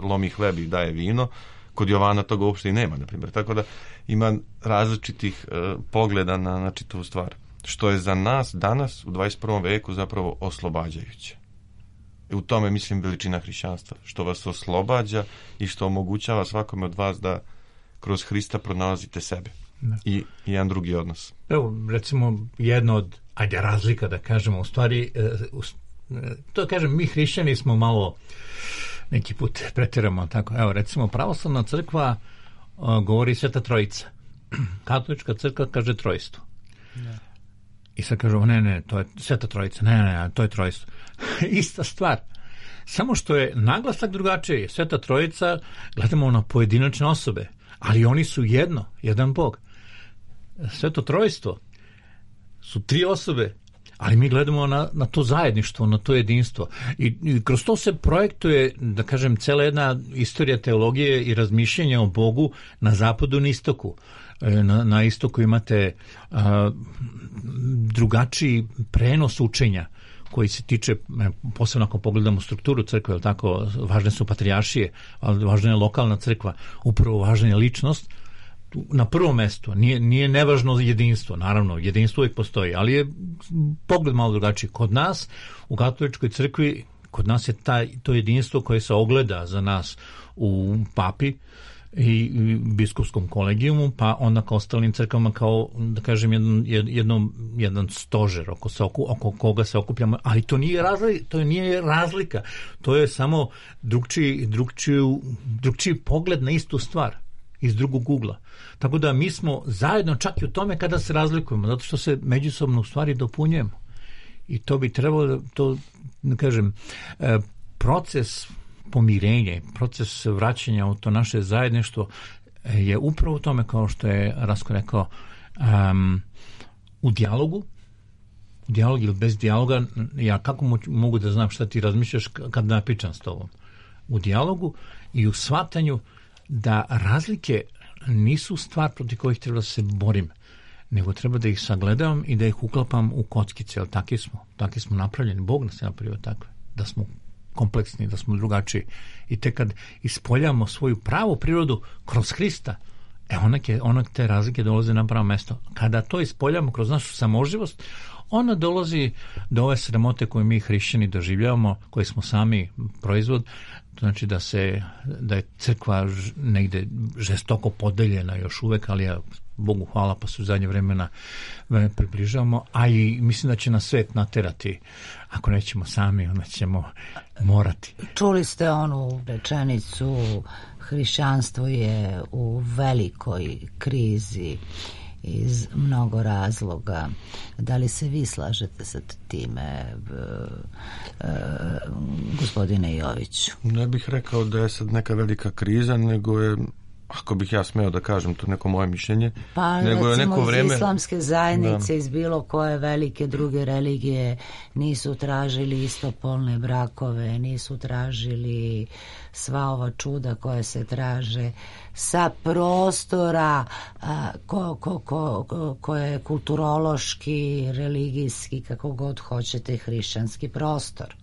lomi hleb i daje vino. Kod Jovana toga uopšte i nema, na primjer. Tako da ima različitih uh, pogleda na, na čitavu stvar. Što je za nas danas u dvadeset prvom veku zapravo oslobađajuće. I u tome, mislim, veličina hrišćanstva. Što vas oslobađa i što omogućava svakome od vas da kroz Hrista pronalazite sebe. i, i jedan drugi odnos. Evo, recimo, jedna od, ajde, razlika da kažemo, u stvari, to kažem, mi hrišćani smo malo, neki put pretiramo, tako, evo, recimo, pravoslavna crkva uh, govori Sveta Trojica. Katolička crkva kaže trojstvo. Ne. I sad kažu, ne, ne, to je Sveta Trojica, ne, ne, to je trojstvo. Ista stvar. Samo što je naglasak drugačiji. Sveta Trojica gledamo na pojedinačne osobe, ali oni su jedno, jedan Bog. Sveto Trojstvo su tri osobe, ali mi gledamo na, na to zajedništvo, na to jedinstvo. I, I kroz to se projektuje, da kažem, cela jedna istorija teologije i razmišljenja o Bogu na zapadu i na istoku. Na, na istoku imate a, drugačiji prenos učenja koji se tiče, posebno ako pogledamo strukturu crkve, tako, važne su patrijaršije, ali važna je lokalna crkva, upravo važna je ličnost. Na prvom mestu, nije, nije nevažno jedinstvo, naravno, jedinstvo uvijek postoji, ali je pogled malo drugačiji. Kod nas, u katoličkoj crkvi, kod nas je taj, to jedinstvo koje se ogleda za nas u papi i biskupskom kolegijumu, pa onda kao ostalim crkvama kao, da kažem, jedan, jedan, jedan stožer oko, se, oko, oko koga se okupljamo, ali to nije razlika, to nije razlika, to je samo drugčiji, drugčiji, drugčiji pogled na istu stvar iz drugog ugla. Tako da mi smo zajedno čak i u tome kada se razlikujemo, zato što se međusobno u stvari dopunjujemo. I to bi trebalo, to, da kažem, proces pomirenja, proces vraćanja u to naše zajedništvo je upravo u tome, kao što je Rasko rekao, um, u dijalogu, u dijalogu ili bez dijaloga, ja kako mogu da znam šta ti razmišljaš kad napičam s tobom? U dijalogu i u shvatanju da razlike nisu stvar protiv kojih treba da se borim, nego treba da ih sagledavam i da ih uklapam u kockice, ali takvi smo, takvi smo napravljeni, Bog nas je napravio takve, da smo kompleksni, da smo drugačiji. I tek kad ispoljavamo svoju pravu prirodu kroz Hrista, e onak, je, onak te razlike dolaze na pravo mesto. Kada to ispoljavamo kroz našu samoživost, ona dolazi do ove sramote koje mi hrišćani doživljavamo, koje smo sami proizvod, znači da se, da je crkva negde žestoko podeljena još uvek, ali ja Bogu hvala, pa su u zadnje vremena približavamo, a i mislim da će nas svet naterati. Ako nećemo sami, onda ćemo morati. Čuli ste onu rečenicu, hrišćanstvo je u velikoj krizi iz mnogo razloga. Da li se vi slažete sa time, e, e, gospodine Joviću? Ne bih rekao da je sad neka velika kriza, nego je, ako bih ja smeo da kažem to neko moje mišljenje, pa nego je neko vreme... iz islamske zajednice, da. Iz bilo koje velike druge religije nisu tražili istopolne brakove, nisu tražili sva ova čuda koje se traže sa prostora a, ko, ko, ko, ko, koje je kulturološki, religijski, kako god hoćete, hrišćanski prostor.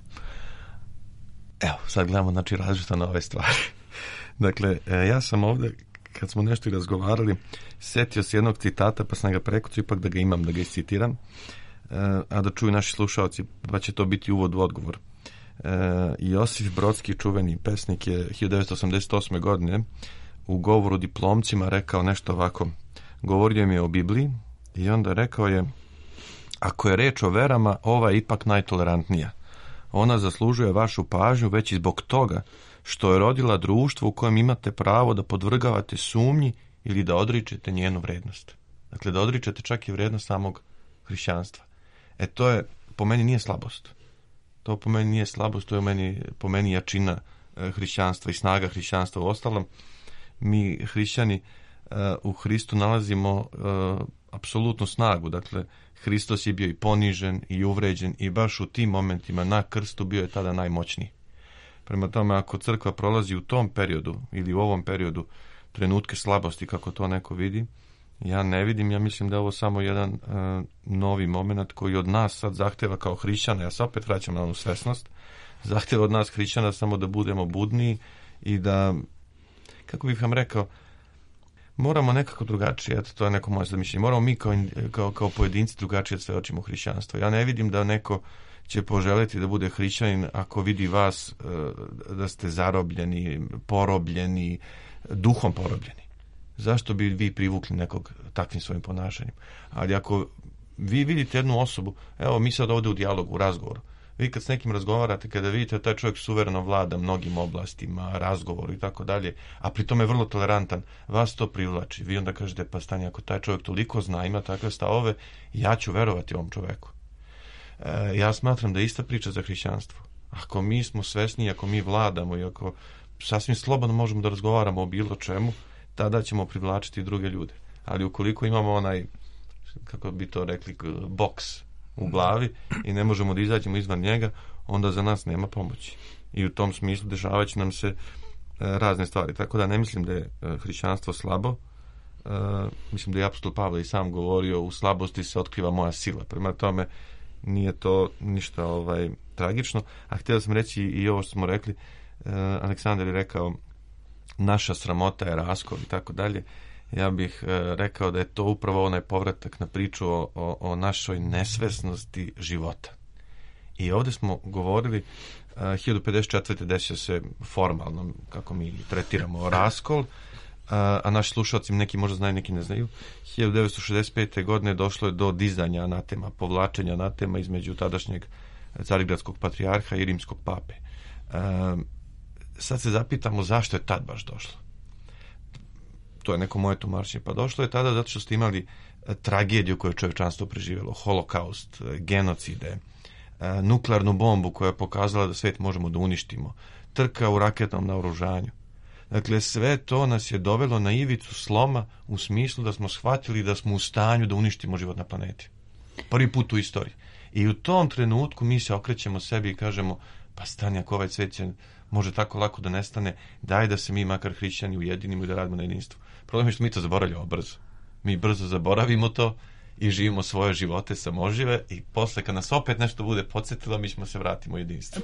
Evo, sad gledamo, znači, različito na ove stvari. Dakle, ja sam ovdje, kad smo nešto razgovarali, setio se jednog citata, pa sam ga prekucao, ipak da ga imam, da ga iscitiram, a da čuju naši slušalci, pa će to biti uvod u odgovor. Josif Brodski, čuveni pesnik, je hiljadu devetsto osamdeset osme. godine u govoru diplomcima rekao nešto ovako. Govorio mi je o Bibliji i onda rekao je: ako je reč o verama, ova je ipak najtolerantnija. Ona zaslužuje vašu pažnju već i zbog toga što je rodila društvo u kojem imate pravo da podvrgavate sumnji ili da odričete njenu vrednost. Dakle, da odričete čak i vrednost samog hrišćanstva. E, to je, po meni nije slabost. To po meni nije slabost, to je meni, po meni jačina e, hrišćanstva i snaga hrišćanstva. U ostalom, mi hrišćani e, u Hristu nalazimo e, apsolutnu snagu. Dakle, Hristos je bio i ponižen i uvređen i baš u tim momentima na krstu bio je tada najmoćniji. Prema tome, ako crkva prolazi u tom periodu ili u ovom periodu trenutke slabosti, kako to neko vidi, ja ne vidim, ja mislim da je ovo samo jedan uh, novi moment koji od nas sad zahteva kao hrišćana, ja se opet vraćam na onu svesnost, zahteva od nas hrišćana samo da budemo budniji i da, kako bih vam rekao, moramo nekako drugačije, eto, to je neko moje zamišljenje, moramo mi kao, kao, kao pojedinci drugačije sve očimo hrišćanstvo. Ja ne vidim da neko će poželjeti da bude hrišćanin ako vidi vas uh, da ste zarobljeni, porobljeni, duhom porobljeni. zašto bi vi privukli nekog takvim svojim ponašanjem? Ali ako vi vidite jednu osobu, evo mi sad ovdje u dijalogu, u razgovoru, vi kad s nekim razgovarate, kada vidite da taj čovjek suvereno vlada mnogim oblastima, razgovoru i tako dalje, a pri tome je vrlo tolerantan, vas to privlači. Vi onda kažete, pa stani, ako taj čovjek toliko zna, ima takve stavove, ja ću verovati ovom čovjeku. E, ja smatram da je ista priča za hrišćanstvo. Ako mi smo svesni, ako mi vladamo i ako sasvim slobodno možemo da razgovaramo o bilo čemu, tada ćemo privlačiti druge ljude. Ali ukoliko imamo onaj, kako bi to rekli, boks u glavi i ne možemo da izađemo izvan njega, onda za nas nema pomoći. I u tom smislu dešavat će nam se e, razne stvari. Tako da ne mislim da je e, hrišćanstvo slabo. E, mislim da je apostol Pavle i sam govorio, u slabosti se otkriva moja sila. Prema tome nije to ništa ovaj tragično. A htio sam reći i ovo što smo rekli, e, Aleksandar je rekao naša sramota je raskol i tako dalje. Ja bih e, rekao da je to upravo onaj povratak na priču o, o, o našoj nesvesnosti života. I ovdje smo govorili, e, hiljadu pedeset četvrte desio se formalno, kako mi tretiramo, raskol, a, a naši slušalci neki možda znaju, neki ne znaju. hiljadu devetsto šezdeset pete godine došlo je do dizanja anatema, povlačenja anatema između tadašnjeg carigradskog patrijarha i rimskog pape. E, sad se zapitamo zašto je tad baš došlo. To je neko moje tumačenje. Pa došlo je tada zato što ste imali tragediju koju je čovječanstvo preživjelo, holokaust, genocide, nuklearnu bombu koja je pokazala da svet možemo da uništimo, trka u raketnom naoružanju. Dakle, sve to nas je dovelo na ivicu sloma u smislu da smo shvatili da smo u stanju da uništimo život na planeti. Prvi put u istoriji. I u tom trenutku mi se okrećemo sebi i kažemo, pa stani, ako ovaj svet će, može tako lako da nestane, daj da se mi makar hrišćani ujedinimo i da radimo na jedinstvu. Problem je što mi to zaboravljamo brzo. Mi brzo zaboravimo to i živimo svoje živote samožive i posle kad nas opet nešto bude podsjetilo, mi ćemo se vratiti u jedinstvo.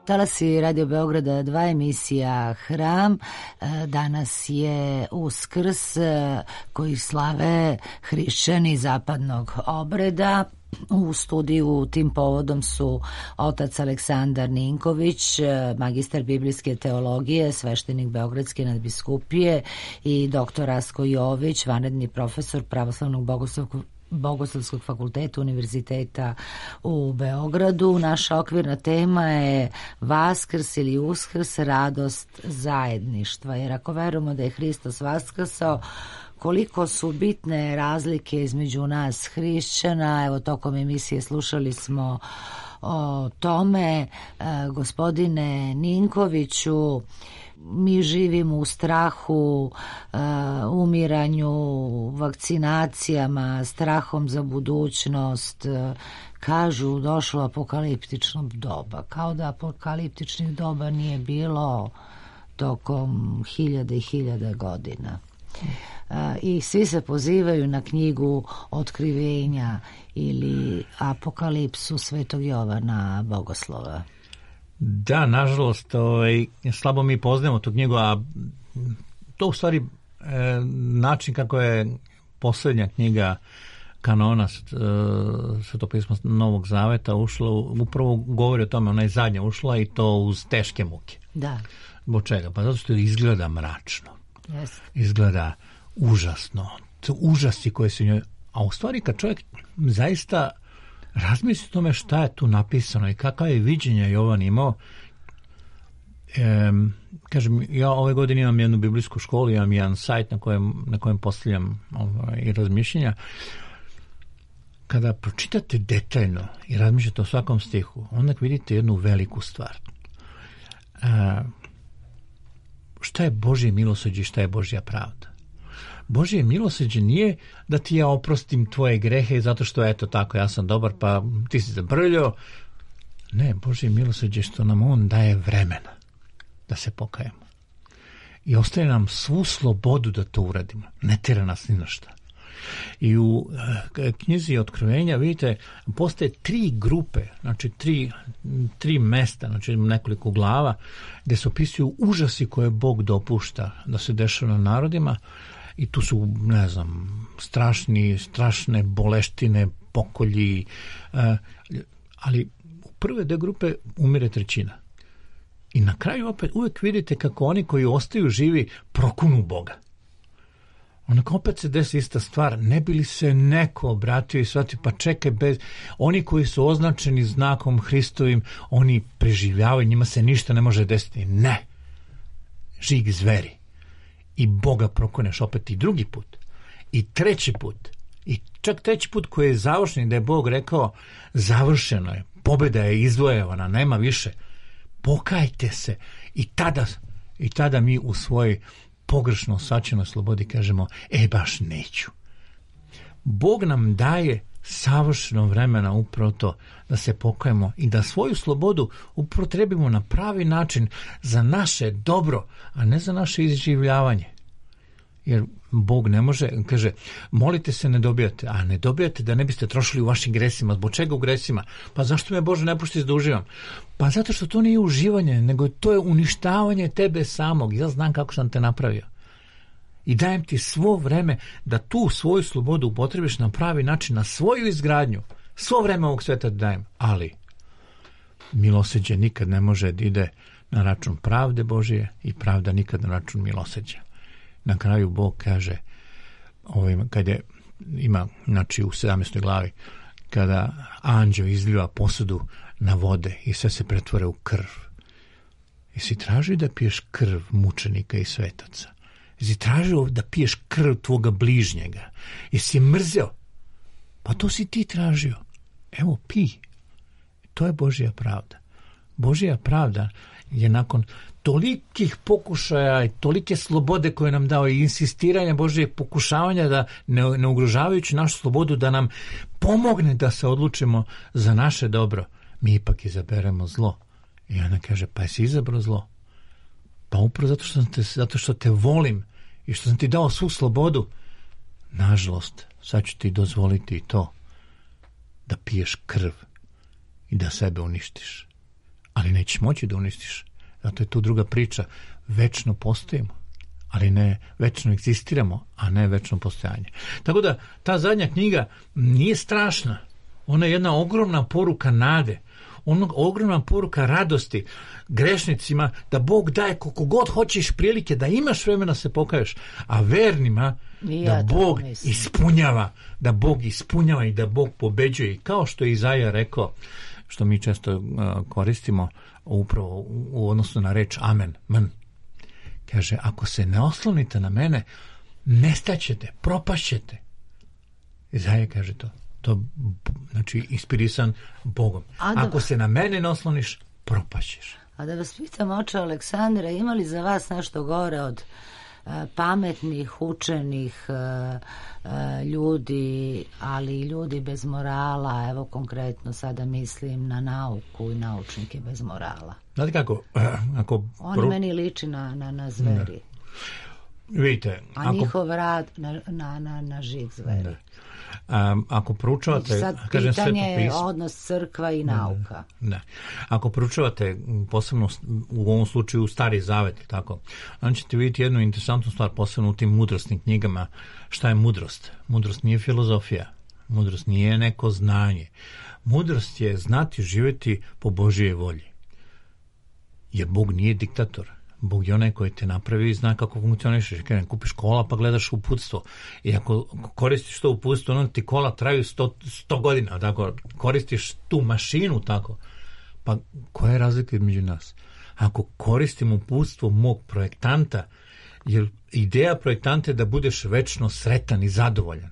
Talasi Radio Beograda dva, emisija Hram. Danas je Uskrs koji slave hrišćani zapadnog obreda. U studiju tim povodom su otac Aleksandar Ninković, magistar biblijske teologije, sveštenik Beogradske nadbiskupije, i doktor Rasko Jović, vanredni profesor Pravoslavnog bogoslovskog Bogoslovskog fakulteta Univerziteta u Beogradu. Naša okvirna tema je Vaskrs ili Uskrs, radost zajedništva. Jer ako verujemo da je Hristos vaskrsao, koliko su bitne razlike između nas hrišćana. Evo, tokom emisije slušali smo o tome. E, gospodine Ninkoviću, mi živimo u strahu, uh, umiranju, vakcinacijama, strahom za budućnost. Uh, kažu, došlo apokaliptično doba. Kao da apokaliptičnih doba nije bilo tokom hiljade i hiljade godina. I svi se pozivaju na knjigu Otkrivenja ili Apokalipsu Svetog Jovana Bogoslova. Da, nažalost, ovaj, slabo mi poznajemo tu knjigu, a to u stvari e, način kako je posljednja knjiga kanona Svetopisma Novog Zaveta ušla, upravo govori o tome, ona je zadnja ušla i to uz teške muke. Da. Zbog čega? Pa zato što izgleda mračno. Yes. Izgleda užasno. To užasi koje se njoj... A u stvari kad čovjek zaista razmisli o tome šta je tu napisano i kakav je viđenje Jovan imao, e, kažem, ja ove godine imam jednu biblijsku školu, imam jedan sajt na kojem, na kojem postavljam ovaj, i razmišljenja. Kada pročitate detaljno i razmišljate o svakom stihu, onda vidite jednu veliku stvar. E, šta je Božje milosrđe i šta je Božja pravda? Božje milosrđe nije da ti ja oprostim tvoje grehe zato što eto tako ja sam dobar pa ti si zabrljao. Ne, Božje milosrđe je što nam on daje vremena da se pokajemo. I ostaje nam svu slobodu da to uradimo. Ne tjera nas ni na šta. I u e, knjizi Otkrivenja vidite postoje tri grupe, znači tri, tri mesta, znači nekoliko glava gdje se opisuju užasi koje Bog dopušta da se dešava na narodima. I tu su, ne znam, strašni, strašne boleštine, pokolji, eh, ali u prve dve grupe umire trećina. I na kraju opet uvijek vidite kako oni koji ostaju živi prokunu Boga. Onako opet se desi ista stvar, ne bi li se neko obratio i shvatio, pa čekaj, bez... oni koji su označeni znakom Hristovim, oni preživljavaju, njima se ništa ne može desiti. Ne, žig zveri. I Boga prokoneš opet i drugi put. I treći put. I čak treći put koji je završen, da je Bog rekao završeno je, pobjeda je izvojevana, nema više. Pokajte se. I tada, i tada mi u svojoj pogrešno shvaćenoj slobodi kažemo, e baš neću. Bog nam daje savršeno vremena upravo to da se pokajemo i da svoju slobodu upotrebimo na pravi način za naše dobro, a ne za naše izživljavanje. Jer Bog ne može, kaže, molite se, ne dobijate, a ne dobijate da ne biste trošili u vašim gresima. Zbog čega u gresima? Pa zašto me Bože ne pušti da uživam? Pa zato što to nije uživanje, nego to je uništavanje tebe samog. Ja znam kako sam te napravio. I dajem ti svo vreme da tu svoju slobodu upotrebiš na pravi način, na svoju izgradnju. Svo vreme ovog sveta dajem. Ali milosrđe nikad ne može da ide na račun pravde Božije i pravda nikad na račun milosrđa. Na kraju Bog kaže, ovim, kad je, ima, znači u sedamnaestoj glavi, kada anđeo izliva posudu na vode i sve se pretvore u krv. Jesi tražio da piješ krv mučenika i svetaca? Jesi tražio da piješ krv tvoga bližnjega? Jesi mrzeo? Pa to si ti tražio. Evo, pi. To je Božja pravda. Božja pravda je nakon tolikih pokušaja i tolike slobode koje nam dao i insistiranja Božje pokušavanja da ne, ne ugrožavajući našu slobodu da nam pomogne da se odlučimo za naše dobro, mi ipak izaberemo zlo. I ona kaže, pa jesi izabrao zlo? Pa upravo zato što, te, zato što te volim i što sam ti dao svu slobodu, nažalost, sad ću ti dozvoliti i to da piješ krv i da sebe uništiš. Ali nećeš moći da uništiš. Zato je tu druga priča. Večno postojimo, ali ne večno egzistiramo, a ne večno postojanje. Tako da ta zadnja knjiga nije strašna. Ona je jedna ogromna poruka nade. Ona ogromna poruka radosti grešnicima da Bog daje koliko god hoćeš prilike da imaš vremena se pokaješ, a vernima ja da Bog ispunjava, da Bog ispunjava i da Bog pobeđuje. I kao što je Izaja rekao, što mi često uh, koristimo upravo u, u odnosu na reč amen, men. Kaže, ako se ne oslonite na mene, nestaćete, propašćete. Izaja kaže to. To znači inspirisan Bogom. Da, ako se na mene ne osloniš, propašćeš. A da vas pitam, oče Aleksandra, ima li za vas nešto gore od uh, pametnih, učenih uh, uh, ljudi, ali i ljudi bez morala? Evo konkretno sada mislim na nauku i naučnike bez morala. Znate kako? Uh, ako On pro... meni liči na, na, na zveri. Vidite, a ako, njihov rad na, na, na, na žig zveri. Um, ako proučavate, sad kažem, pitanje Sveto je pismo, odnos crkva i nauka. ne. Ako proučavate posebno u ovom slučaju Stari Zavet, tako, onda ćete vidjeti jednu interesantnu stvar, posebno u tim mudrostnim knjigama. Šta je mudrost? Mudrost nije filozofija. Mudrost nije neko znanje. Mudrost je znati živjeti po Božjoj volji. Jer Bog nije diktator. Bog je onaj koji te napravi i zna kako funkcionišeš. Kada kupiš kola pa gledaš uputstvo. I ako koristiš to uputstvo, onda ti kola traju sto godina. Tako, koristiš tu mašinu tako. Pa koja je razlika između nas? Ako koristim uputstvo mog projektanta, jer ideja projektanta je da budeš večno sretan i zadovoljan.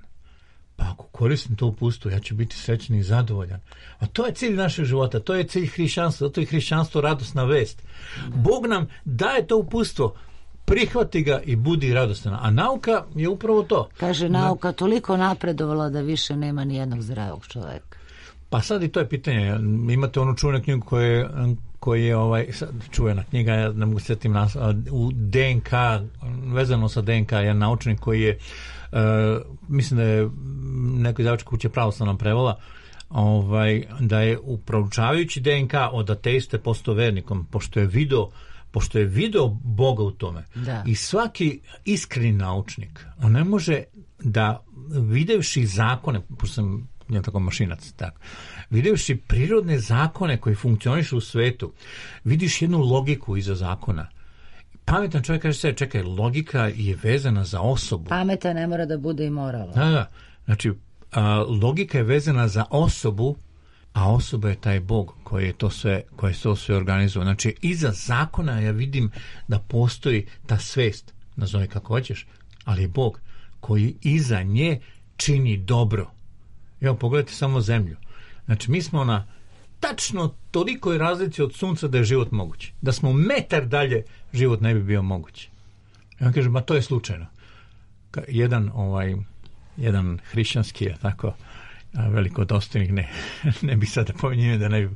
Pa ako koristim to uputstvo, ja ću biti srećan i zadovoljan. A to je cilj našeg života, to je cilj hrišćanstva, zato je hrišćanstvo radosna vest. Bog nam daje to uputstvo, prihvati ga i budi radostan. A nauka je upravo to. Kaže, nauka toliko napredovala da više nema ni jednog zdravog čovjeka. Pa sad i to je pitanje. Imate onu čuvenu knjigu koje koji je ovaj, čuvena knjiga, ja ne mogu sjetim nas, u D N K, vezano sa D N K, jedan naučnik koji je, uh, mislim da je neko izdavačka kuća pravoslavna prevola, ovaj, da je proučavajući D N K od ateiste postao vernikom, pošto je video pošto je video Boga u tome. Da. I svaki iskreni naučnik, on ne može da, videvši zakone, pošto sam ja tako mašinac, tako, videvši prirodne zakone koji funkcionišu u svetu, vidiš jednu logiku iza zakona. Pametan čovjek kaže se, čekaj, logika je vezana za osobu. Pametan ne mora da bude i moralan. Da, da. Znači, a, logika je vezana za osobu, a osoba je taj Bog koji je to sve, koji je to sve organizovao. Znači, iza zakona ja vidim da postoji ta svest, nazove kako hoćeš, ali je Bog koji iza nje čini dobro. Evo, pogledajte samo zemlju. Znači, mi smo na tačno tolikoj razlici od sunca da je život moguć. Da smo metar dalje, život ne bi bio moguć. I on kaže, ma to je slučajno. Jedan, ovaj, jedan hrišćanski, tako, veliko dostojnik, ne, ne bi sada pominjio da ne bi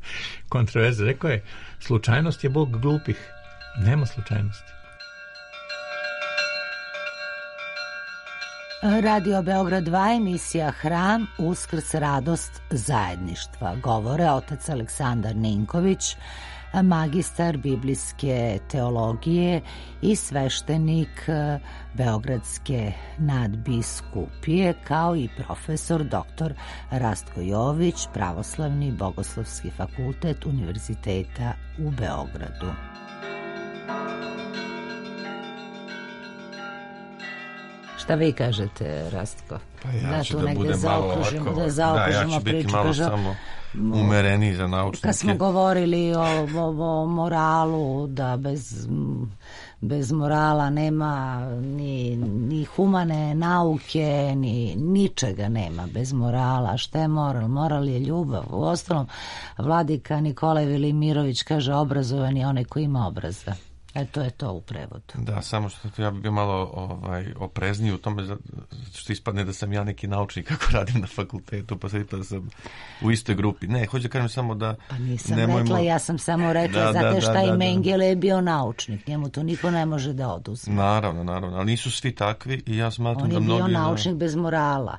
kontroverze, rekao je, slučajnost je Bog glupih. Nema slučajnosti. Radio Beograd dva, emisija Hram, Uskrs, radost zajedništva. Govore otac Aleksandar Ninković, magistar biblijske teologije i sveštenik Beogradske nadbiskupije, kao i profesor doktor Rastko Jović, Pravoslavni bogoslovski fakultet Univerziteta u Beogradu. Šta vi kažete, Rastko? Pa ja da ću tu da budem malo ovako, da zaokružimo da, ja ću biti priču, malo kažu, samo umereniji za naučnike. Kad smo govorili o, o, o moralu, da bez, bez morala nema ni, ni humane nauke, ni ničega nema bez morala. Šta je moral? Moral je ljubav. U ostalom, vladika Nikolaj Velimirović kaže, obrazovan je onaj koji ima obraza. E, to je to u prevodu. Da, samo što ja bih bio malo ovaj, oprezniji u tome što ispadne da sam ja neki naučnik kako radim na fakultetu, pa sad ispada da sam u istoj grupi. Ne, hoću da kažem samo da... Pa nisam nemojmo... rekla, ja sam samo rekla, da, znate da, šta da, i da, Mengele je bio naučnik, njemu to niko ne može da oduzme. Naravno, naravno, ali nisu svi takvi i ja smatram da mnogi... On je bio naučnik bez morala.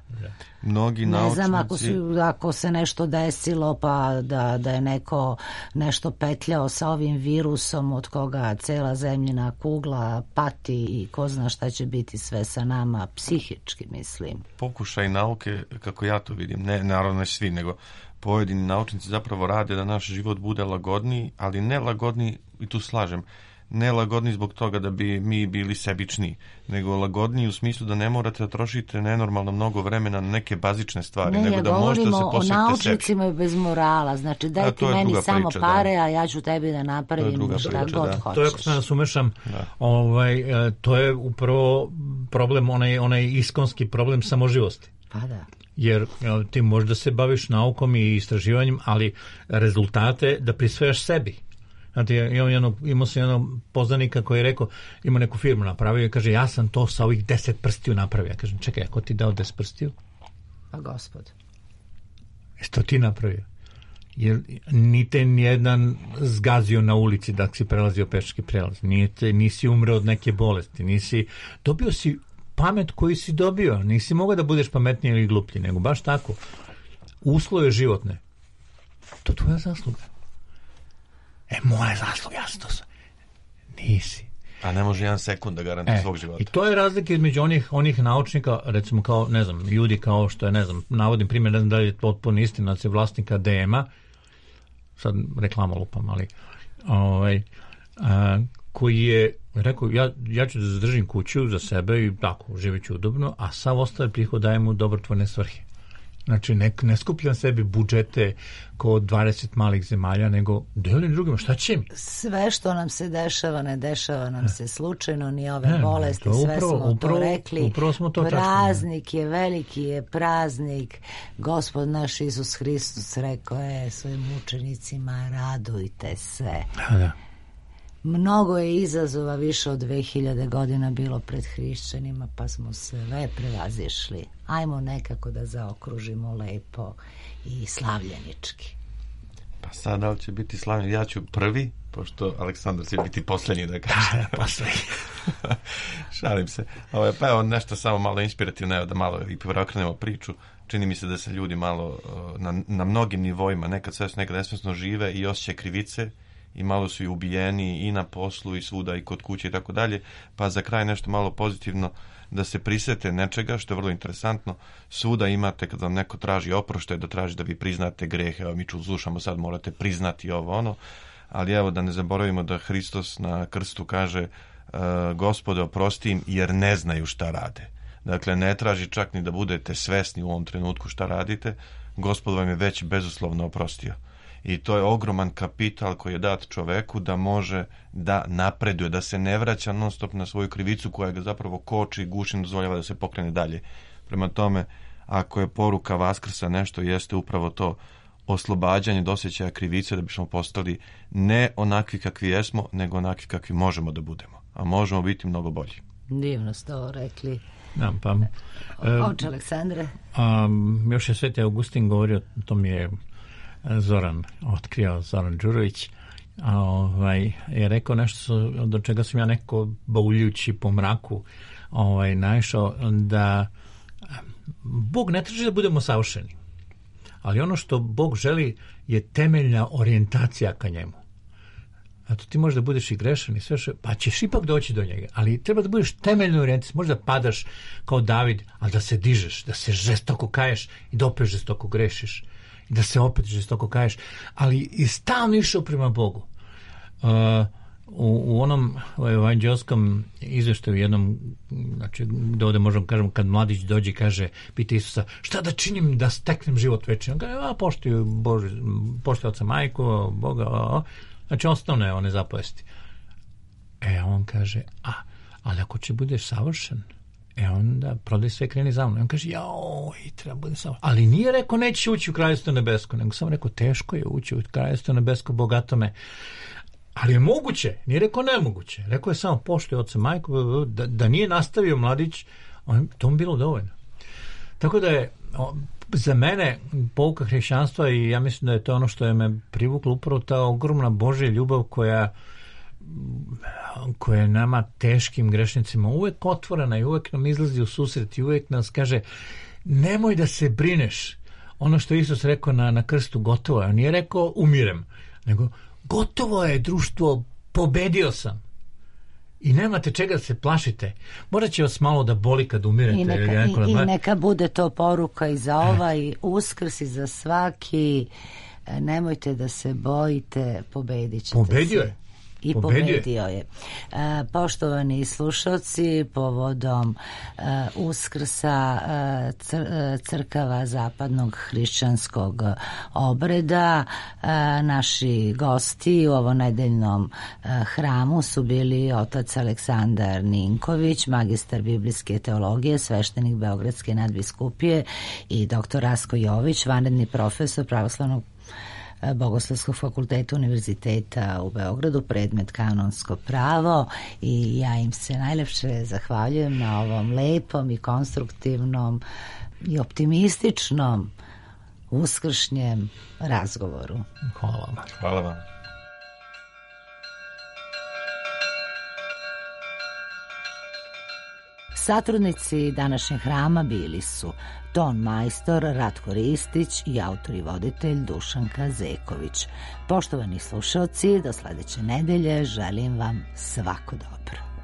Mnogi ne naučnici... znam, ako, su, ako se nešto desilo, pa da, da je neko nešto petljao sa ovim virusom od koga cela zemljina kugla pati i ko zna šta će biti sve sa nama, psihički mislim. Pokušaj nauke, kako ja to vidim, ne naravno ne svi, nego pojedini naučnici zapravo rade da naš život bude lagodniji, ali ne lagodniji, i tu slažem, ne lagodni zbog toga da bi mi bili sebični, nego lagodniji u smislu da ne morate da trošite nenormalno mnogo vremena na neke bazične stvari, ne, nego ja da možete da se posvetite sebi. Ne, ja govorimo o naučnicima bez morala, znači daj ti meni samo priča, pare, da. A ja ću tebi da napravim šta priča, god da. hoćeš. To je ako se nas umešam, da. ovaj, to je upravo problem, onaj, onaj iskonski problem samoživosti. Pa da. Jer ti možeš da se baviš naukom i istraživanjem, ali rezultate da prisvajaš sebi. Znate, imam jedno, imao sam jednog poznanika koji je rekao, ima neku firmu napravio i kaže, ja sam to sa ovih deset prstiju napravio. Ja kažem, čekaj, ako ti dao deset prstiju? Pa gospod. Jesi to ti napravio? jer nite nijedan zgazio na ulici da si prelazio pešački prelaz, nite, nisi umreo od neke bolesti, nisi, dobio si pamet koju si dobio, nisi mogao da budeš pametniji ili gluplji, nego baš tako. Uslove životne, to je tvoja zasluga. E, moja zasluga, ja sam to sve. Nisi. A ne može jedan sekund da garantuje e, svog života. I to je razlika između onih, onih naučnika, recimo kao, ne znam, ljudi kao što je, ne znam, navodim primjer, ne znam da li je potpuno istina, da se vlasnika D M-a, sad reklama lupam, ali ovaj, a, koji je rekao, ja, ja ću da zadržim kuću za sebe i tako, živit ću udobno, a sav ostali prihod dajem u dobrotvorne svrhe. Znači, ne, ne skupljam sebi budžete kao dvadeset malih zemalja, nego delim drugima, šta će mi? Sve što nam se dešava, ne dešava nam se slučajno, ni ove ne, bolesti, to sve upravo, smo upravo, to rekli. Upravo smo to praznik čašli, je, veliki je praznik. Gospod naš Isus Hristos rekao je svojim učenicima, radujte se. Da, da. Mnogo je izazova, više od dve hiljade godina bilo pred hrišćanima, pa smo sve prevazišli. Ajmo nekako da zaokružimo lepo i slavljenički. Pa sad da li će biti slavljen? Ja ću prvi, pošto Aleksandar će biti posljednji da kaže. Da, posljednji. Šalim se. Ovo, pa evo nešto samo malo inspirativno, evo da malo i preokrenemo priču. Čini mi se da se ljudi malo na, na mnogim nivoima, nekad svesno, nekad nesvesno žive i osjećaju krivice, i malo su i ubijeni i na poslu i svuda i kod kuće i tako dalje, pa za kraj nešto malo pozitivno, da se prisete nečega što je vrlo interesantno. Svuda imate, kad vam neko traži oproštaj, da traži da vi priznate grehe, evo mi ču slušamo sad, morate priznati ovo ono, ali evo da ne zaboravimo da Hristos na krstu kaže uh, Gospode oprosti im jer ne znaju šta rade. Dakle, ne traži čak ni da budete svesni u ovom trenutku šta radite, Gospod vam je već bezuslovno oprostio. I to je ogroman kapital koji je dat čoveku da može da napreduje, da se ne vraća non stop na svoju krivicu koja ga zapravo koči i guši, dozvoljava da se pokrene dalje. Prema tome, ako je poruka Vaskrsa nešto, jeste upravo to oslobađanje od osjećaja krivice, da bismo postali ne onakvi kakvi jesmo, nego onakvi kakvi možemo da budemo. A možemo biti mnogo bolji. Divno ste ovo rekli. Da, pa, Oče Aleksandre. Um, još je Sveti Augustin govorio, to mi je Zoran otkrio, Zoran Đurović, a ovaj, je rekao nešto do čega sam ja neko bauljući po mraku ovaj, naišao, da Bog ne traži da budemo savršeni, ali ono što Bog želi je temeljna orijentacija ka njemu. Zato ti možeš da budeš i grešan i sve što, pa ćeš ipak doći do njega, ali treba da budeš temeljno orijentiran, možda padaš kao David, ali da se dižeš, da se žestoko kaješ i da opet žestoko grešiš. I da se opet žestoko kaješ, ali i stalno išao prema Bogu. Uh, u, u onom evanđelskom izveštaju jednom, znači da ovde možemo kažemo, kad mladić dođe i kaže, pita Isusa, šta da činim da steknem život večni? On kaže, a poštuj Bože, poštuj oca majku, Boga, a, a. Znači osnovne one zapovesti. E, on kaže, a, ali ako će budeš savršen, e onda prodaj sve, kreni za mnom. On kaže, joj, treba bude samo. Ali nije rekao, neće ući u Kraljevstvo nebesko, nego samo rekao, teško je ući u Kraljevstvo nebesko, bogato me. Ali je moguće, nije rekao nemoguće. Rekao je samo, poštuje oca majku, da, da nije nastavio mladić, on, to mu bilo dovoljno. Tako da je, za mene, pouka hrišćanstva, i ja mislim da je to ono što je me privuklo, upravo ta ogromna Božja ljubav koja koja je nama teškim grešnicima uvek otvorena i uvek nam izlazi u susret i uvek nas kaže, nemoj da se brineš. Ono što Isus rekao na, na krstu, gotovo je. On nije rekao umirem, nego gotovo je, društvo, pobedio sam. I nemate čega da se plašite. Možda će vas malo da boli kad umirete. I neka, i, i neka bude to poruka i za ovaj Uskrs i za svaki. Nemojte da se bojite, pobedit ćete Pobedio se. je. I pobedio, pobedio je. E, poštovani slušalci, povodom e, Uskrsa e, cr, crkava zapadnog hrišćanskog obreda, e, naši gosti u ovom nedeljnom e, hramu su bili otac Aleksandar Ninković, magistar biblijske teologije, sveštenik Beogradske nadbiskupije, i doktor Rasko Jović, vanredni profesor pravoslavnog Bogoslovskog fakulteta Univerziteta u Beogradu, predmet kanonsko pravo, i ja im se najlepše zahvaljujem na ovom lepom i konstruktivnom i optimističnom uskršnjem razgovoru. Hvala vam. Hvala vam. Satrudnici današnjeg hrama bili su ton majstor Ratko Ristić i autor i voditelj Dušanka Zeković. Poštovani slušalci, do sledeće nedelje želim vam svako dobro.